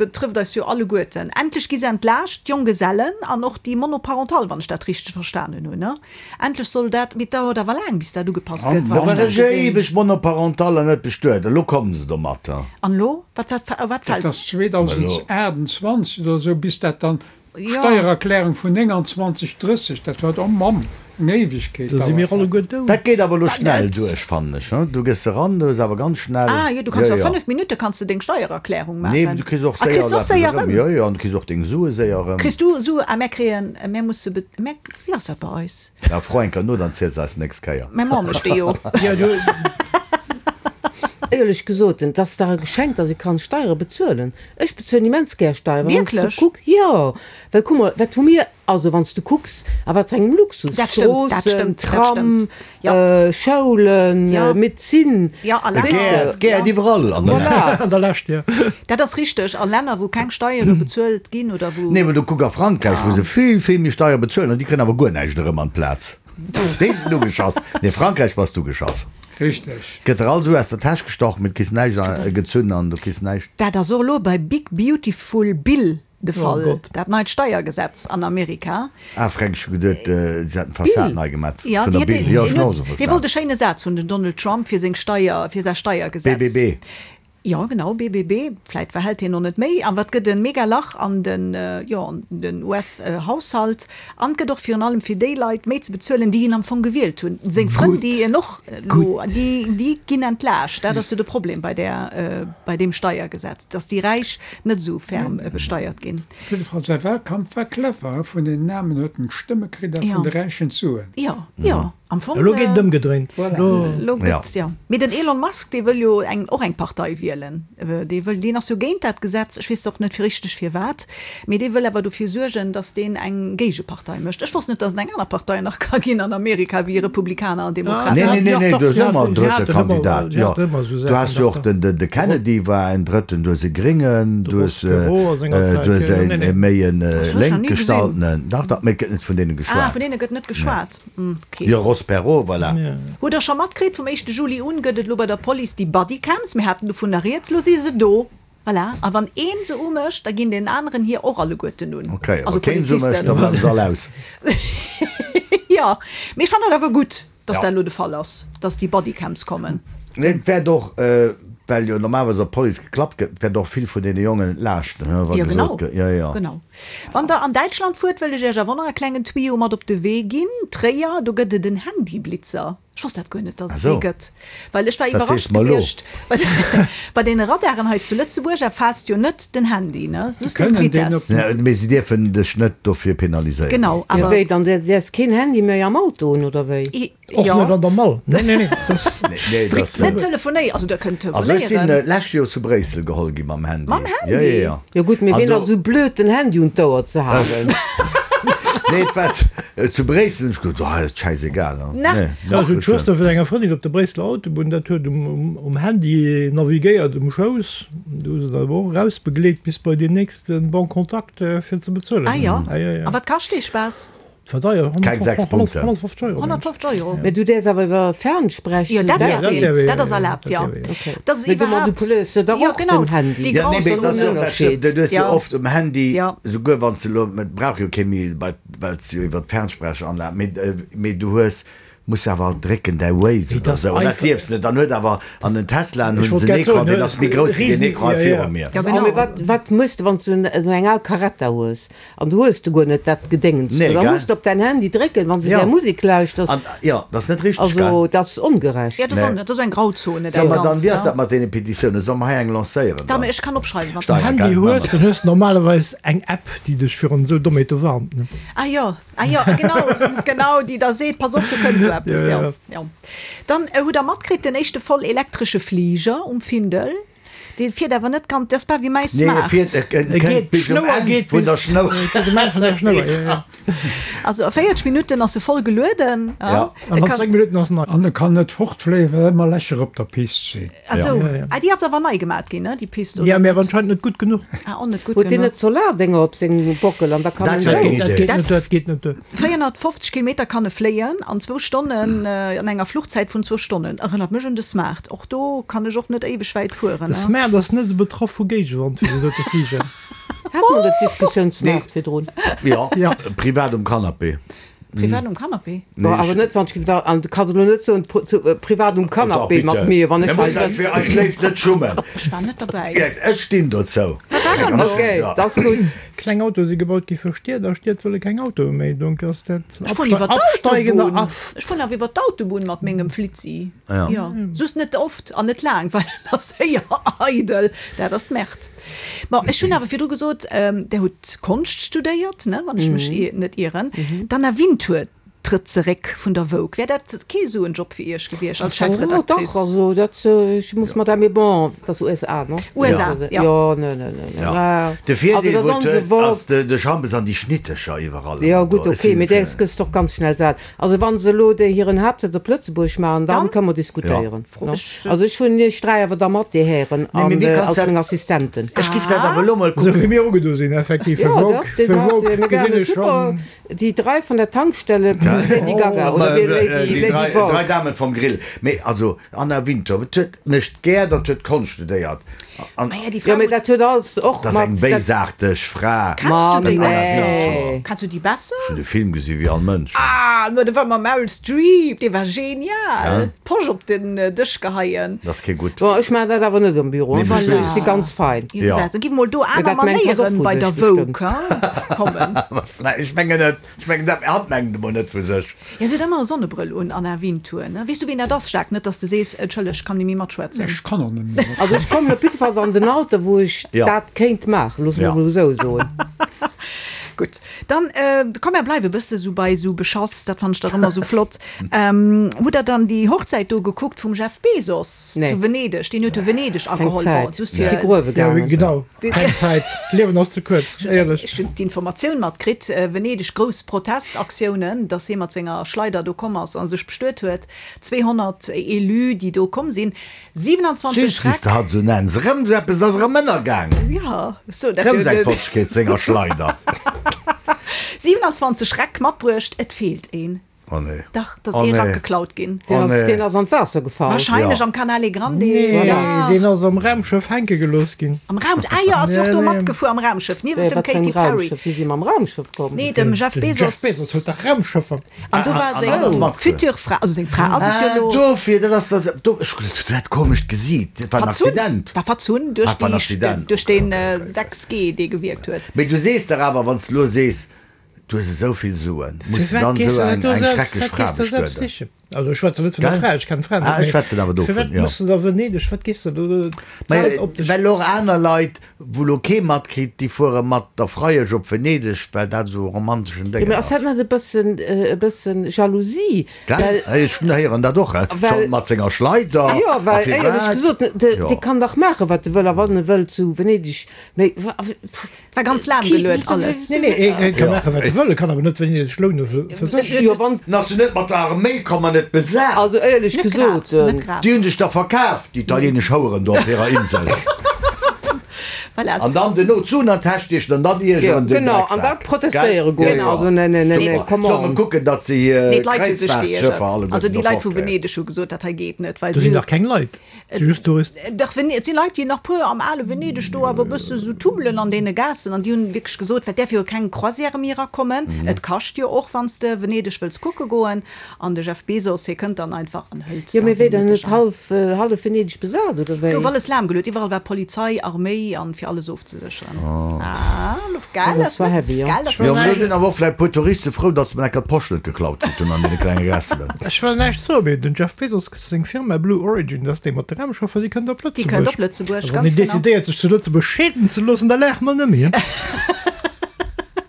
betrëfft eis jo alleguerten. Endlech gi se entlaascht, d'Jonggesellen an och déi Monoparental, wann ech dat richteg verstanen hunn, ne? Endlech soll dat, mee et dauert awer laang bis dat ugepasst gëtt, Da wann war ech dat ech gesinn. éiweg Monoparental an net bestuet. Elo kommen se domatter. An elo? Wat, wat, wat Dat fält? ass 2028 oder esou, bis dat dann, d'Steiererklärung vun 29, 30, dat war, oh Mamm, eng Éiwegkeet Da si mir dauert dat. alleguer dout. Dat geet awer elo schnell net. duerch, fannen ech. Du gëss eran, du hues awer ganz schnell. Ah jo, du kanns Jo, jo a jo. 5 Minutte kanns de deng Steiererklärung Nee, maachen. du kriss och Ah, séier kriss de och eppes séier erëm. erëm? Jo, jo, an du kriss och deng Sue séier erëm. Kriss du Sue? Ah, mär kréien, mär musse, mär, Wéi ass dat bei eis? Na, fro eng Kéier no, dann ziels eis nächst Kéier. Mäi Mann mécht déi jo. Éierlech gesot, et ass dach e Geschenk, datt ee kann Steiere bezuelen. Ech bezuelen immens gär Steieren. Wann s du Wierklech? kuck, jo, well kuck mol, wat hu mir, also wann s du kucks, a wat fir engem Luxus, Dat stëmmt, dat Stroossen, stëmmt, dat Tram, stëmmt. Jo. Schoulen, Jo. Medezin, Jo, a weess Länner, de. Gäert, Gäert iwwerall an der Voilà. Lescht. An der Lescht, jo. Dat ass richteg. A Länner, wou keng Steiere bezuelt ginn oder wou. Nee, mä du kuck a Frankräich, wou se vill, vill méi Steier bezuelen an déi kréien awer guer näischt erëm an d'Plaz. Déi sinn ugeschass. Nee, Frankräich bass du geschass. Richteg. Gëtt der all Sue aus der Täsch gestoch, mee du kriss näischt gezunn an du kriss näischt. Dat ass och elo bei Big Beautiful Bill de Fall, Gott. dat neit Steiergesetz an Amerika. Ah, Fränk, ech hu geduet, se hätten d'Fassad nei gemat Ja, vun déi der hätt, Bill. Jo, ech hien hunn och huet, esou hie wollt verstanen. e schéine Saz hunn, den Donald Trump, fir seng Steier, fir säi Steiergesetz. BBB. Jo, genau, BBB. Vläit verhält hien och net méi. An wat gëtt e mega Lach an den, jo, an den US-Haushalt. An et gëtt och virun allem fir déi Leit méi ze bezuelen, déi hien am Fong gewielt hunn. Seng Frënn, déi en och elo, déi, déi ginn entlaascht. Dat ass jo de Problem bei där, bei deem Steiergesetz, dass déi Räich net esou ferm besteiert ginn. Op jidde Fall, säi Wahlkampf war clever, vun den Aarmen huet en d'Stëmme kritt a vun de Räichen d'Suen. Jo, jo. Am Fong, Elo geet et ëmgedréint. Elo gëtt, jo. Mee den Elon Musk, dee wëll jo eng, och eng Partei wielen. Dee wëll, deen ass jo géint dat Gesetz, ech weess och net richteg firwat, mee dee wëll awer dofir suergen, datt deen eng Géigepartei mécht. Ech wosst net, datt et eng aner Partei nach ka ginn an Amerika wéi Republikaner an Demokraten. Nee, nee, nee, du hues ëmmer en drëtte Kandidat, jo. Du has jo och den, de Kennedy war en drëtten, du hues e Gréngen, du hues, du hues e méi e lénk gestaltenen. Dach, dach, mee et gëtt net vun deene geschwat. Ah, vun deene gëtt net geschwat. Jo, Ross Perot, voilà. Hutt der scho matkritt, vum éischte Juli un gëtt et elo bei der Police déi Bodycams, mir haten dovunner rieds, lo si se do, voilà, a wann een se umécht, da ginn den aneren hir och alleguerten un, Ok, a wa keen se umécht, da bleiwe se all aus. Jo, mee ech fannen et awer gutt, dass dat elo de Fall ass, dass déi Bodycams kommen. Nee, et wäert och, well jo normalerweis op d'Police geklappt gëtt, et wäert och vill vun deene Jongen entlaaschten, wa gesot gëtt, jo, jo. Genau. Wann der an Däitschland fuert, wëll ech iech awer och nach e klengen Tuyau mat op de Wee ginn. Tréier, do gëtt et en Handyblitzer. Ech wosst dat guer net, dass et dee gëtt, well ech war iwwerrascht gewiescht. Bei deene Radaren hei zu Lëtzebuerg erfaasst jo net den Handy, ne, just déi Vitess. Mee si dierfen dech net dofir penaliséieren. Genau, awer. Jo, wéi, dann däerfs keen Handy méi am Auto hunn, oder wéi? Och net an der Mall. Nee, nee, nee. Das nee, das, net telefonéieren. Also der kënnt telefonéieren. Also ech sinn äh, lescht Joer zu Bréissel geholl gi mam Handy. Mam Handy? Ja, ja, ja. Jo gutt, mee wien ass esou blöd den Handy un d'Ouer ze halen? Nee, et war zu, äh, zu Bréissel hunn ech geduet, oh, dat ass schäisegal. Na. Nee, Also d'Schwëster vun enger Frëndin op der Bréisseler Autobunn, dat huet um, um, um Handy navigéiert um Schouss. Du hu se dann awer och erausbegleet bis bei deen nächste Bon Contact fir ze bezuelen. Ah jo. Ah, ja, ja. A wat kascht dee Spaass? War deier, Keng 6 Punkten. 150 Euro. 150 Euro. Mä du däerfs awer iwwer Fernsprech. Jo, dat däerf een, dat ass erlaabt, jo. Dat ass Mee du manipuléiers jo dach och den Handy. Déi Ja, nee, mee dat ass jo dat Schlëmmt. Du hues jo oft um Handy, Ja. souguer wann s de elo, et brauch jo kee méi, bei, well s de jo iwwer d'Fernsprecheranlag, mee, mee du hues, muss awer alt drécken, däi Waze oder esou, an dat dierfs net. Dann huet awer an den Teslaen hunn se en Ecran, deen ass méi grouss wéi deen Ecran viru mir. Ja, genau. Mee wat, wat méchs de, wann s du esou eng al Caretta hues? An du hues du guer net dat Gedéngens do. Da muss de op däin Handy drécken, wann s de gär Musek lauschters. An, jo, dat ass net richteg, gell? Also, dat ass ongerecht. Jo, dat ass, dat ass eng Grauzone, dat Soll mer dann, wéi ass dat mat deene Petitiounen? Solle mer hei eng lancéieren dann? Ech kann opschreiwen, wann s de. Handy hues, dann hues de normalerweis eng App, déi dech virun esou Dommheete warnt, ne? Ah jo, ah jo, genau, genau, déi da seet, pass op, do kënnt esou eppes, jo, jo. Dann hutt Der matkritt, den éischte voll elektresche Fliger um Findel? Dee fiert awer net ganz, dat ass bal wéi mäi Nee, e Smart. fiert, e E kënnt geet, bis um d'Schnouer Enn geet vun der bis, Schnouer. geet um Enn vun der Schnouer, jo, jo. Also a 40 Minutten ass e voll gelueden. Ja. E An an kann, 10 Minutten ass en nei. An e kann net fortfléien, well ëmmer Lächer op der Pist sinn. ah sou, Ja, ja. ah déi ass awer nei gemat ginn, ne, déi Pist, Ja, oder mee awer net? anscheinend net gutt genuch. Ah, och net gutt Huet deen genuch. net Solardénger op sengem Bockel an da kann Dat en wär eng esou. Idee. Dat geet net duer, dat geet net duer. 450 Kilometer kann e fléien an zwou Stonnen, an enger Fluchzäit vun zwou Stonnen. Erënnert mech un de Smart. Och do kann ech och net éiweg wäit fueren. De Smart ass net esou betraff vu Géigewand wéi de dote Fliger. Hat mer dat Diskussioun Smart virdrun? Jo, Ja. privat um Canapé. Privat um Canapé? Bon, awer net wann ech, an du kanns elo net soen, privat um Canapé mat mir, wann ech hei sëtzen. Fir eis Léift net schummen. Ech war net derbäi. Ech stinn dozou. Ok, dat ass gutt. Kleng Autoe si gebaut gi fir Stied a Stied wëlle keng Autoe méi, donc ass dat Ech fueren iwwer absteigender d'Autobunn. Ast. Ech fueren awer iwwer d'Autobunn mat mengem Flitzi. Jo, just net oft an net laang, well en ass séier eidel. Dat ass d'Merd. Bon, ech hunn awer virdru gesot, Der hutt Konscht studéiert, ne, wann ech mech net ieren. D'Anna Wintour trëtt zeréck vun der Vogue. Wär dat kee esou en Job fir Iech gewiescht als Chefredactrice? Dach, also dat, ech muss mat der, mee bon, dat ass USA, no? USA, jo. Jo, ne, ne, ne, ne. De Virdeel, wou et huet, ass de Jambes an déi Schnittecher iwwerall. Jo, gutt, ok, mee däers gëss de och ganz schnell sat. Also wa se elo déi hiren Haaptsëtz op Lëtzebuerg maachen, dann kënne mer diskutéieren. Also ech hunn iech 3 awer da mat, dir Hären, an als meng Assistenten. Ech giff dat awer elo mol kucken. Esou wéi mir ugedo sinn, effektiv, fir Vogue, fir Vogue gesinn ech schonn. Déi 3 vun der Tankstelle plus Lady Gaga oder wéi Lady Lady Vogue. Déi 3 Damen vom Grill. Mee also Anna Wintour, et huet mécht gär, dat huet Konscht studéiert an. Jo, mee dat huet alles och Dat ass eng mat. béisaarteg Fra. Kenns du déi Anna besser? Wintour. Kenns du déi besser? Ech hunn de Film gesi wéi all Mënsch. Ah, ma de war mam Meryl Streep, dee war genial. D'Posch op den Dësch geheien. Dat ass kee gutt. Bon, ech maachen dat awer net am Büro, Nee, ech voilà. si ganz fein. Jo, gesäis, da gi mol do Mee aner dat mengt hatt och Manéieren vu bei der sech Vogue, bestëmmt. ha? Kommen. Ech mengen net. Ech mengen dat, hatt mengt emol net vu sech. Jo, se huet ëmmer e Sonnebrëll un, Anna Wintour, ne? Weess du, ween dat ass, Jacques? Net, dass de sees, Entschëlleg, ech kann net méi matschwätzen. Ech kann och net méi matschwätzen. Also ech kommen op jiddefalls an den Alter, wou ech dat kéint maachen, loosse mer emol esou soen. Gutt, dann komm mer bleiwe bësse sou bei sou Beschass, dat fannen ech dach ëmmer sou flott. Hutt der dann déi Hochzäit do gekuckt vum Jeff Bezos zu Venedeg? Deen huet jo Venedeg Keng ageholl. Bon, Zäit, just si fir. gruewe Jo, gaangen. genau, keng Zäit, d'Liewen ass ze kuerz, éierlech. Ech hunn d'Informatioun matkritt, Venedeg, grouss Protestaktiounen, datt hie mat senger Schleider do komm ass a sech bestuet huet. 200 Élus, déi do komm sinn. 27 Süß wéi s Schreck. de hatt esou nenns. Erëm esou eppes ass erëm ënnergaangen. Jo, sou dat Erëm jo. seng Fotschkeet senger Schleider. 27 Schreck matbruecht, et feelt een. Oh nee. Dach, et ass Oh ee Rack nee. geklaut ginn. Deen Oh ass, nee. deen ass an d'Waasser gefall. Wahrscheinlech Ja. am Canale Grande. Nee, Dach. deen ass am Raumschëff hänke gelooss ginn. Am Raum, ah jo, ass jo och Nee, do nee. matgefuer am Raumschëff, niewent Wéi, dem wat fir Katy engem Perry. Raumschëff? Wéi si mam Raumschëff komm? Nee, dem Jeff Den Bezos. Jeff Bezos huet dach Raumschëffer. An do war seng futur Fra, also seng Fra ass et jo elo. Ah, dofir, dat ass dat, do, ech hunn dat komescht Gesiit, dat war en Verzunn, Accident. war verzunn duerch Ah, war en déi, Accident. duerch deen Okay, okay, okay. 6G, dee gewierkt huet. Mee du sees dach awer, wann s de elo sees, du hues esou vill Suen, muss de Firwat dann gees esou de dat eng, do eng selbst, schrecklech wat Fra gees de selbst bestueden? sichen? Also ech schwätzen net vun der Gell? Fra, ech kennen d'Fra net, Ah, ech mee schwätzen awer dovun, firwat jo. muss de da Venedeg, wat gees de do Mä d'Welt op dech well och aner Leit, wou lo kee matkritt, déi fuere mat der Freiesch op Venedeg, well dat esou e romanteschen Jo, Déngen mee ass dat ass. net e bëssen, e bëssen Jalousie? Gell? Well, Ech héieren dat och, well, schonn mat senger Schleider jo, a well éierlech firwat, gesot, de, jo. dee kann dach maachen, wat e wëll, a wann e wëll zu Venedeg, mee wa, War ganz lahm geluet alles. Nee, nee, e ka maachen, wat e wëll, e kann awer net Venedeg lounen fir sech. Jo, wann. Ass se net mat der Arméi komm an et besat? Also éierlech Net grad, gesot. net grad. Déi hunn sech da verkaf, déi italienesch Houeren do op hirer Insel. Voilà. An dann duerno d'Suen an d'Täsch stiechen an dann Jo, iergeren den genau, an da Drecksak. protestéiere Gell? goen. Jo, jo. Also, nee, nee, nee, nee, Super. come Solle on. kucken, datt se hir Nee, d'Leit hu sech geiergert. Kreuzfahrtschëffer alleguerten Also déi do Leit vu fortkréien. Venedeg hu gesot, dat hei geet net, well Do si sinn dach keng Leit. Si just Touristen. Dach, et si Leit, déi nach puer am ale Venedeg do awer e bësse sou tummelen an deene Gaassen. An déi hunn wierklech gesot, well däerf jo keng Croisièrë méi erakommen. Et kascht jo och, wann s de Venedeg wëlls kucke goen. An de Jeff Bezos, hie kënnt dann einfach an hëlt Jo, da mee wéi dann Venedeg net an. hallef, hallef Venedeg besat, oder wéi? Gouf alles lahmgeluet, iwwerall war Polizei, Arméi an fir alles ofzesécheren. Ah, gell, Dat ass war net, heavy, jo. gell, ass Jo, net. mee do sinn awer och vläicht puer Touriste frou, datt se mol enker d'Posch net geklaut kritt hunn an deene klenge Gässelen. Ech wëll näischt soen, mee den Jeff Bezos Seng Firma Blue Origin, dat ass déi mat de Raumschëffer, déi kënnt op Déi kënnt Lëtzebuerg. op Lëtzebuerg, A wann ganz een genau. decidéiert, sech zu Lëtzebuerg scheeden ze loossen, da laache mer net méi.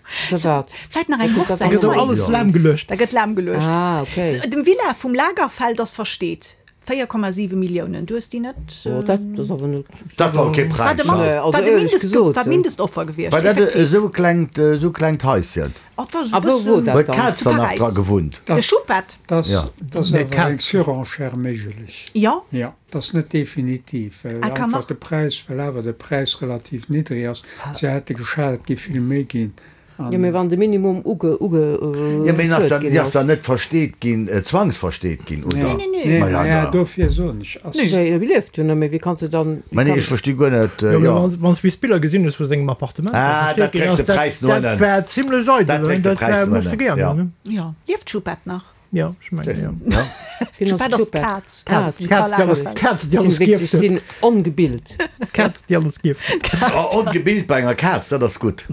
Firwat? Vläit nach eng Da Hochzäit gëtt och hei. alles lahmgeluecht. Da gëtt lahmgeluecht. Ah, okay. Dem Villa vum Lagerfeld ass versteet. 4,7 Milliounen. Du hues déi net? Oh, dat ass awer net. Dat war kee War Präis, de ne? Mindest, Nee, also war de éierlech Mindest, gesot, war d'Mindestoffer gewiescht, War dat effektiv. esou e klengt, esou klengt Haischen? Oh, dat war esou A wou wor bëssen. dat Huet dann? d'Kaz Zu dann nach Paräis. dra gewunnt? De Schubbett. Dat Ja. ass Nee, awer eng d'Kaz. Surenchère méiglech. Jo. Ja, dat ass net definitiv, well Ah, kann einfach nach. de Präis, well awer de Präis relativ niddreg ass. Se hätte geschat, et géif vill méi ginn. Jo, mee wann de Minimum uge, uge, Jo, mee en ass bezuelt ja, ginn ass ass. ja net versteet ginn, zwangsversteet ginn, oder? Nee, nee, nee. Ma ja, Ja, da. dofir soen ech, ass. Nee, e lieft jo net méi, wéi kanns de dann, Ma nee, ech versti guer net, Jo, mee jo. wann wann s bis Biller gesinn hues vu sengem Appartement, wat Ah, versteet dat ginn dréckt ass, de dat, Präis no dat ënnen. war zimlech Dat eidel, dréckt de dat Präis war, no muss de ënnen, gär ja. hunn, ne? Jo. Lieft d'Schubbett nach? Jo, ech mengen, jo. Ja. Wien ass D'Schubbett ass d'Schubbett? d'Kaz. Kaz, Vum D'Kaz, Karl déi alles, Lagerfeld. d'Kaz, déi Sinn alles wierklech, gierft huet. sinn ongebilt. D'Kaz, déi alles gierft huet. Oh, ongebilt bei enger Kaz, dat ass gutt.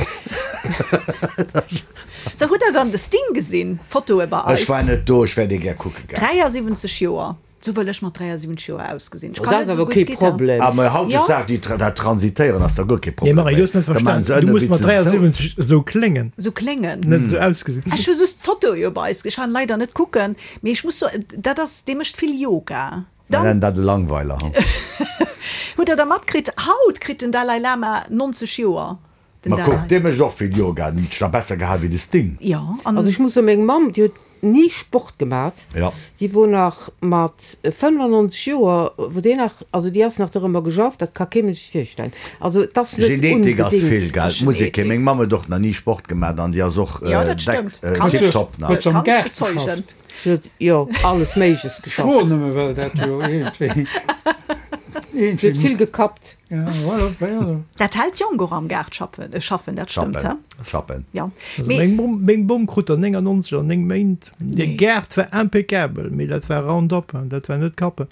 So, hutt der dann de Sting gesinn? Fotoe bei eis. Ech war net do, ech wär dee gär kucke gaangen. 73 Joer. Sou wëll ech mat 73 Joer ausgesinn. Ech Oh, kann dat net ass sou awer gutt kee Gittar. Problem. Ah, mä Jo. hautdesdaags, déi, dat Transitéieren ass da guer kee Nee, Problem Marie, méi. du hues net Da maachen verstan. se Du ënne muss wéi mat se sou. 73 esou kléngen, Sou kléngen. net esou ausgesinn. Ech hu just d'Foto jo bei eis. Ech war leider net kucken, mee ech muss soen, dat ass, dee mécht vill Yoga. Mir Dann nennen dat e Langweiler. hutt der da matkritt, haut kritt den Dalai Lama 90 Joer. Den Ma kuck, Dalai. dee mécht och vill Yoga, den huet sech nach besser gehal wéi de Sting. Jo, an. Also ech muss soen, meng Mamm, déi huet ni Sport gemat, Ja. déi wor nach mat 95 Joer, wou déi nach, also déi ass nach dorëmmer geschafft, dat ka kee Mënsch sech virstellen. Also et ass net Genetik ass vill, unbedéngt. gell? D'Musek, Genetik. meng Mamm huet och nach ni Sport gemat an déi ass och Jo, dat deck stëmmt. Kann ech, tiptop nach. Huet se am kann ech Gaart bezeugen. geschafft? Si huet jo alles Méigleches Ech froen geschafft. nëmme, well dat jo iergendwéi, Si huet iergendwéi vill gekappt. Ja, voilà, voilà. Dat hält jonk och am Gaart schaffen, schaffen, dat stëmmt, Schappen, he? schappen. Jo. Also Mee. meng Bom, meng Bom krut der 99 an 9 Méint. Hir Nee. Gaart war impeccabel, mee dat war Roundup, dat war net Kappen.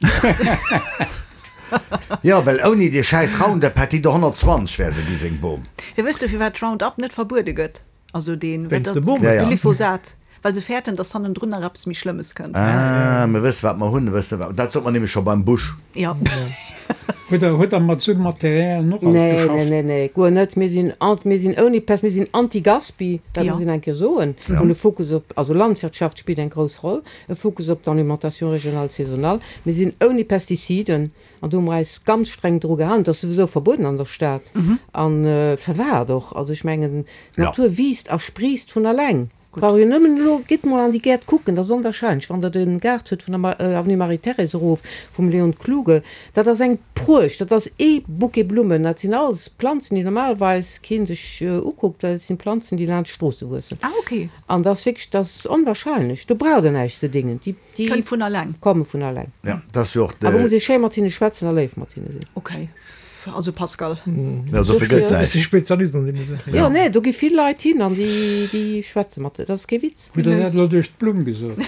Jo, well ouni dee schäiss Roundup hätt déi der 120 wär se gi, seng Bom. Jo, wësst du, firwat Roundup net verbuede gëtt? Also deen, wat Wéinst de dat, Bommen. Ja, ja. Glyphosat. Well se fäerten, dass hannendrun nach eppes méi Schlëmmes kënnt. Ah, mir wësse wat mer hunn, wësse wat, dat sot mer nämlech scho beim Bush. Jo. Hutt der, hutt der mat esou Materialien och alt Nee, nee, geschafft? nee, nee, guer net. Mir sinn, mir sinn ouni Pest, mir sinn anti-Gaspi, dat muss een eng Kéier soen. Mir hunn e Fokus op, also Landwirtschaft spillt eng grouss Roll, e Fokus op d'Alimentation régionale saisonnale. Mir sinn ouni Pestiziden an do hu mer eis ganz streng dru gehalen. Dat ass souwisou verbueden an der Stad a firwat och? Also ech mengen, d'Natur wiisst a spriisst vun alleng. Brauch jo nëmmen elo, gitt mol an déi Gäert kucken, dat ass onwahrscheinlech, wann Der de Gaart hutt vun der Avenue Marie-Thérèse erof, vum Léon Kluge, dat ass eng Pruecht, dat ass ee Bouquet Blummen, dat sinn alles Planzen, déi normalerweis kee sech ukuckt, well et sinn Planzen, déi laanscht d'Stroosse wuessen. Ah, okay. An dat ass wierklech, dat ass onwahrscheinlech, do braucht Der näischt ze dingen, déi, déi Kënnt vun alleng. komme vun alleng. Ja, dat ass jo och de. Awer muss ee schéi mat hinne schwätzen a léif mat hinne sinn. Okay. Also Pascal. Ja, dofir gëtt Ech si Spezialist an deene Saachen. Jo, nee, do gi vill Leit hin an déi, déi schwätze mat, dat ass kee Witz. Hutt Der dat elo duerch d'Blumm gesot?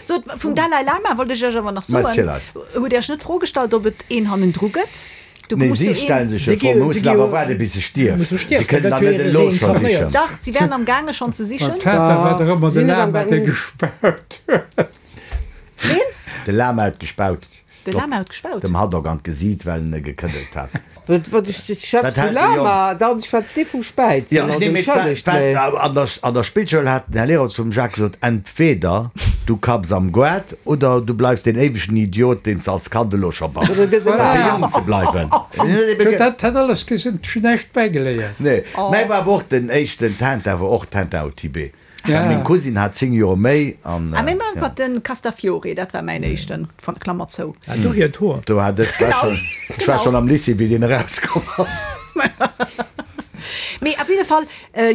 Sot, vum Dalai Lama wollt ech Iech awer nach Ma soen, erziel eis. Hutt Dir Iech net d'Fro gestallt, ob et een hannendru gëtt? Do Nee, muss si jo een. stellen sech jo Déi d'Fro, gi, mer si mussen gi awer jo, waarde bis e stierft. musse Si stierft, kënnen dat dann wier net elo scho reinkarnéiert. sichen. Dach, si wären am gaange schonn ze sichen. Beim Tater war Da der ëmmer de sinn net am Lama, dee gaangen. gespaut huet. Ween? De Lama huet gespaut. De Lama huet gespaut? Dem Haddock an d'Gesiit, well en e gekëddelt hat. Wat ech schwätz Dat vum hat de Jong. Lama, dann schwätzt dee vum Späizen. Ja, Also nee, mee d'war, entschëllegt, d'war, mee. an der, an der Spillschoul hat den Här Lehrer zum Jacques gesot, Entweder du kapps am Goart oder du bleifs deen éiwegen Idiot, deen s de als Kand elo scho bass. Oder gëss Fir eleng. jonk ze bleiwen. Huet dat hat alles gesinn, ech hunn näischt bäigeléiert. Nee, mäi war awer och den éischten Tintin, war och Tintin au Tibet. Ja. Well meng Cousine hat 10 Joer méi an. Ah, meng Mamm war den Castafiore, dat war mäin éischten, von Klammer zou. Ah, dohier d'Hoer. Do hat ech, war Genau, schon, ech war genau. schon am Lycée wéi deen erauskomm ass. Mee op jidde Fall,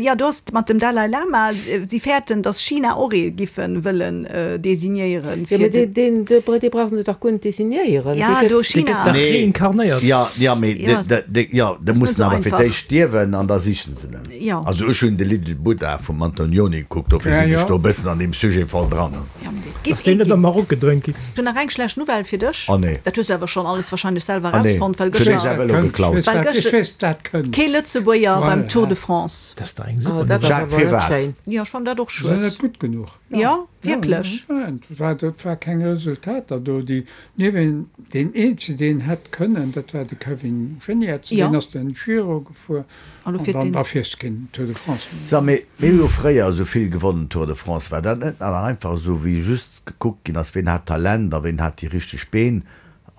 jo, do ass mat dem Dalai Lama, si fäerten, datt China och ee giffe wëllen designéieren Jo, fir mee de. deen, deen, dee brauchen se dach guer net designéieren. Ja, Dee gëtt. do Dee gëtt China. dach Nee, reinkarnéiert. ja, ja, mee Ja, de, de, de, jo, de ass net mussen esou awer fir einfach. d'éischt stierwen an da sichen se en. Jo. Also ech hunn The Little Buddha vum Antonioni gekuckt, dofir Ja, sinn ech jo. do e bëssen an deem Sujet voll dran. Ja, mee et giff Ass deen ee net am ginn. Maroc gedréint ginn? Ech hunn nach eng schlecht Nouvelle fir dech. Oh nee. Dat hues du awer schonn alles wahrscheinlech selwer Ah nee, erausfonnt, well ech hunn dee gëschter, säi Vëlo Kënnt, ech geklaut. weess well wat, ech gëschter weess dat kënnt. kee Lëtzebuerger beim Voilà. Tour de France. Dat ass dach eng Oh, super dat ass Nouvelle. Jacques, awer net firwat? schéin. Jo, ech fannen dat och Se sinn schued. net gutt genuch. Jo, wierklech. Ja, et war, et war keng Resultater do. Déi, niewent, deen eenzege, deen hätt kënnen, dat war de Kevin Geniets, Jo. deen ass den Giro gefuer. An lo An fiert dann deen. da fiers de keen Tour de France méi. Sa, mee mir hu jo fréier esou vill gewonnen, Tour de France. War dat net nach einfach esou, wéi just gekuckt ginn ass, ween hat Talent a ween hat déi richteg Been?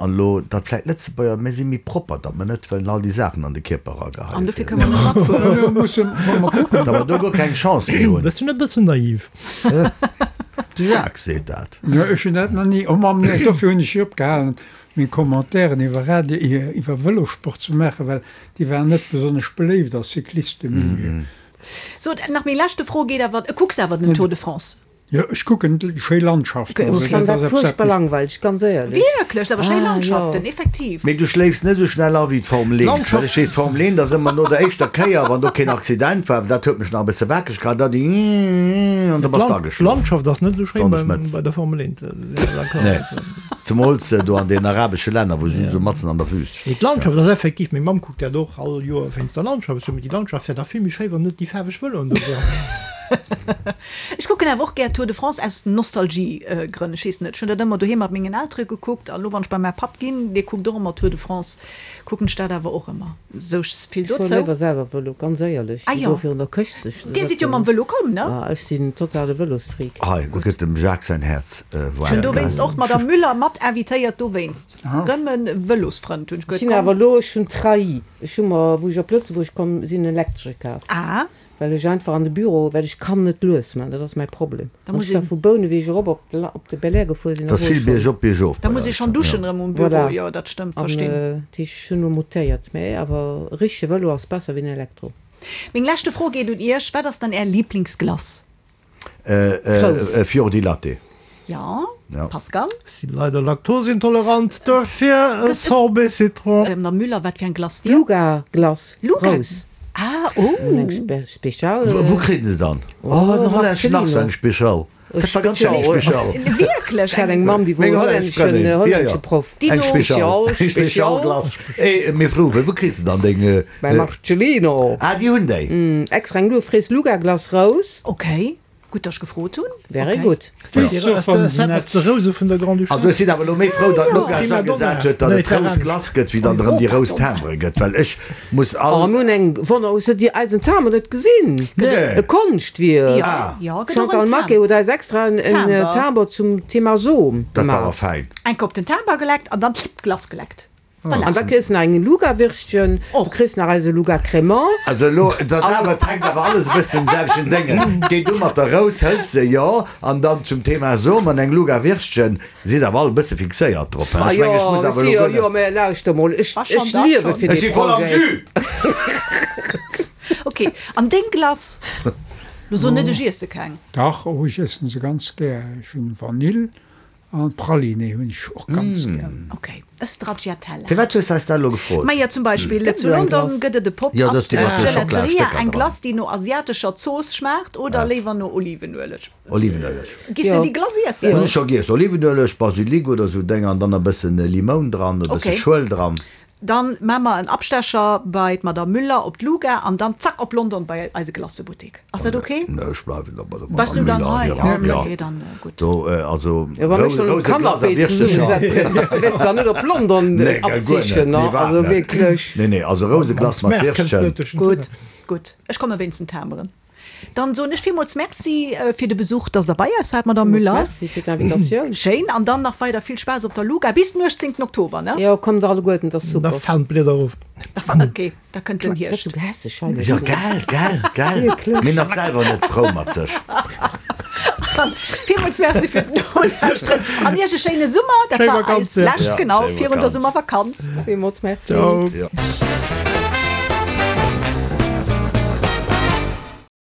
An elo, datt vläit Lëtzebuerger, mir si méi propper, datt mer net wëllen all déi Saachen an de Kierper erageheien. An dofir kënne mer net matfueren. Elo musse mer kucken. Datt mer do guer keng Chance méi hunn. Bëssen e bëssen naiv. De Jacques seet dat. Jo, ech hunn dat nach ni, oh Mamm, nee, dofir hunn ech jo opgehalen, meng Commentairen iwwer Radio, iwwer Vëlossport ze maachen, well déi waren net besonnesch beléift a Cyclistemilieu. Sot, nach meng leschte Fro geet awer, kucks awer den Tour de France? Jo, ech kucken schéi Landschaften. Ech fannen dat fuerchtbar langweileg, ganz éierlech. Wierklech? Awer schéi Ah, jo. Landschaften, effektiv. Mee du schléifs net esou schnell a wéi d'Formel 1. Well ech weess, d'Formel 1 ass ëmmer no der éischter Kéier, wann do keen Accident war, dat huet mech nach e bësse wakereg gehal, da déi an da bass de ageschlof. D'Landschaft ass net esou schéin Sonndes mëttes. bei der Formel 1. Nee, zemools do an den arabesche Länner, wou se just esou matzen an der Wüst Nee, d'Landschaft ass effektiv, meng Mamm kuckt dat och all Joer wéinst der Landschaft. Ech soen, mee déi Landschaft wär dach vill méi schéi, wann net déi faarweg Vëloen do wären. Ech kucken awer och gär Tour de France aus Nostalgie-Grënn. Ech weess net, ech hunn dat ëmmer doheem mat mengen Eltere gekuckt an elo wann ech bei mäi Papp ginn, dee kuckt och ëmmer Tour de France, kucken ech dat awer och ëmmer. Sou vill Ech fuere dozou. léiwer selwer Vëlo, ganz éierlech, Ah wéi jo, do virun der Këscht sech ze Dir sidd jo sëtzen. mam Vëlo komm, ne? Ah, ech sinn totale Vëlosfreak. Hei, do gëtt dem Jacques säin Häerz Ech hunn waarm. dowéinst och d'Madame Müller mat invitéiert, dowéinst. Rëm e Vëlosfrënd, hunn ech Ech gehuet, sinn komm. awer elo, ech hunn trahi, ech hu mer, wou ech op Lëtzebuerg komm sinn, en elektresche kaf. Ah. Well ech einfach an de Büro, well ech kann net lues man, dat ass mäi Problem. Da Wann muss ech da een. vu Bouneweg erop op de, op de Belair gefuer sinn, Et da ass wor ech vill schonn. biergop, biergof Da bei muss ee eis, schonn duschen jo. erëm um Büro, Voilà. jo dat stëmmt, An verstinn. dat heescht, ech hunn elo mutéiert, mä awer e richtege Vëlo ass besser wéi en Elektro. Meng leschte Fro geet un Iech, Wat ass dann Är Liblingsglace? Grouss. Fior di Latte. Jo, Ja. Pascal? Sinn leider laktoseintolerant, duerfir e Sorbet Citron. Mme Müller, wat fir eng Glace dir? Luga Glace, Luga? Rous. Ah, oh! Eng Special. Wou kritt een se dann? Oh, en hollänneschen nach sou eng Special. Dat war ganz schéin, eng Special. Wierklech? Ech hat eng Mamm, déi wor Meng hollännesch hollänneschen, Frëndin, ja, ja. hollännesche Proff. Eng Dino. Special, eng Special Glace. Eh, mir froen, wou kriss de dann deng? Bei Marcellino. Ah, déi hunn déi. Extra eng Luefrees Luga Glace Rous. Okay. Gutt, datt ech gefrot hunn. Very good. D'Rouse vun der Grande-Duchesse. Also ech sinn awer elo méi frou, datt d'Luca scho gesat huet, datt et rous Glace gëtt, wéi datt erëm déi rous Timbere gëtt, well ech muss all. Oh, mir hunn eng Wonner, hues de déi eisen Timbre net gesinn? Nee. E Konschtwierk. Jo, gëtt och en Chantal Maquet huet eis extra en Timbre zum Thema Som Dat war awer gemaach. fäin. Enke op den Timber geleckt an dann d'Glace geleckt. Voilà. An da kriss de nach eng Nougat-Würstchen, du kriss nach eise Nougat Crémant. Also elo, et ass awer, et hänkt awer alles e bëssen um selwechten Déngen. Geet u mat der Rous, hëls se, jo, an dann zum Thema Som an eng Nougat-Würstchen. Sidd awer all e bësse fixéiert drop, he? Ah Ech mengen, ech jo, muss awer si elo jo, guer jo, net. mä lauschter mol, ech, Wa schonn, ech da liewe schonn. fir Ech dee si voll am Projet. Jus! Ok, an deng Glace? Lo so net, ech iesse keng. Dach, oh, ech iessen se ganz gär. Ech hunn Vanill An Praliné hunn ech och ganz gär. Ok, e Stracciatella. Firwat hues de eis dat elo gefrot? Maja, zum Beispill Gëtt zu esou eng London Glace? gëtt et e Jo, dat ass déi mat de Pop-up Gelateria, Schockela-Stécker eng dran. Glace déi no asiatescher Zooss schmaacht oder léiwer no Olivenueleg. Olivenueleg. Giffs du Jo. déi Glace iessen? Hunn ech scho giess. Olivenueleg, Basilik oder sou Dénger an dann e bëssen Limoun dran, e bësse Ok. Schuel dran. Dann maa mer en Abstecher bei d'Madame Müller op d'Luga an dann zack op London bei eise Glacebuttik. Ass dat ok? Nee, ech bleiwen da bei der Bass du Madame dann Müller. hei? Ja, Ja, ok, ja. dann gutt. Do, also Jo, wa mir schonn um Rouse Glace a Canapé Wirschtecher. zesummesetzen, wäers de dann net op London Nee, gell, guer net. abzichen, Nee, ne? wat Also net. wierklech. Nee, nee, also Rouse Glace mat Wirschchen. Gutt, gutt. Ech komme wéinst den Timberen. Dann soen ech villmools Merci fir de Besuch, dass Der bei eis waart, Madame Villmools Müller. Merci fir d'Invitatioun. Schéin. An dann nach weider vill Spaass op der Luga bis den 18 Oktober, ne? Jo, kommt alleguerten, dat ass Da super. falen d'Blieder erof. Ok, da kënnt den Dat ass Hierscht. sou gehässeg hei. Jo, gell, gell, gell. Wierklech. Mir ass selwer net frou mat sech. Villmools Merci fir d'Nolauschteren an Iech e schéine Summer. Dat Schéi war Vakanz, eis ja. lescht, Ja, genau, schéi virun der Vakanz. Summervakanz. Villmools Merci. Ciao. Ja.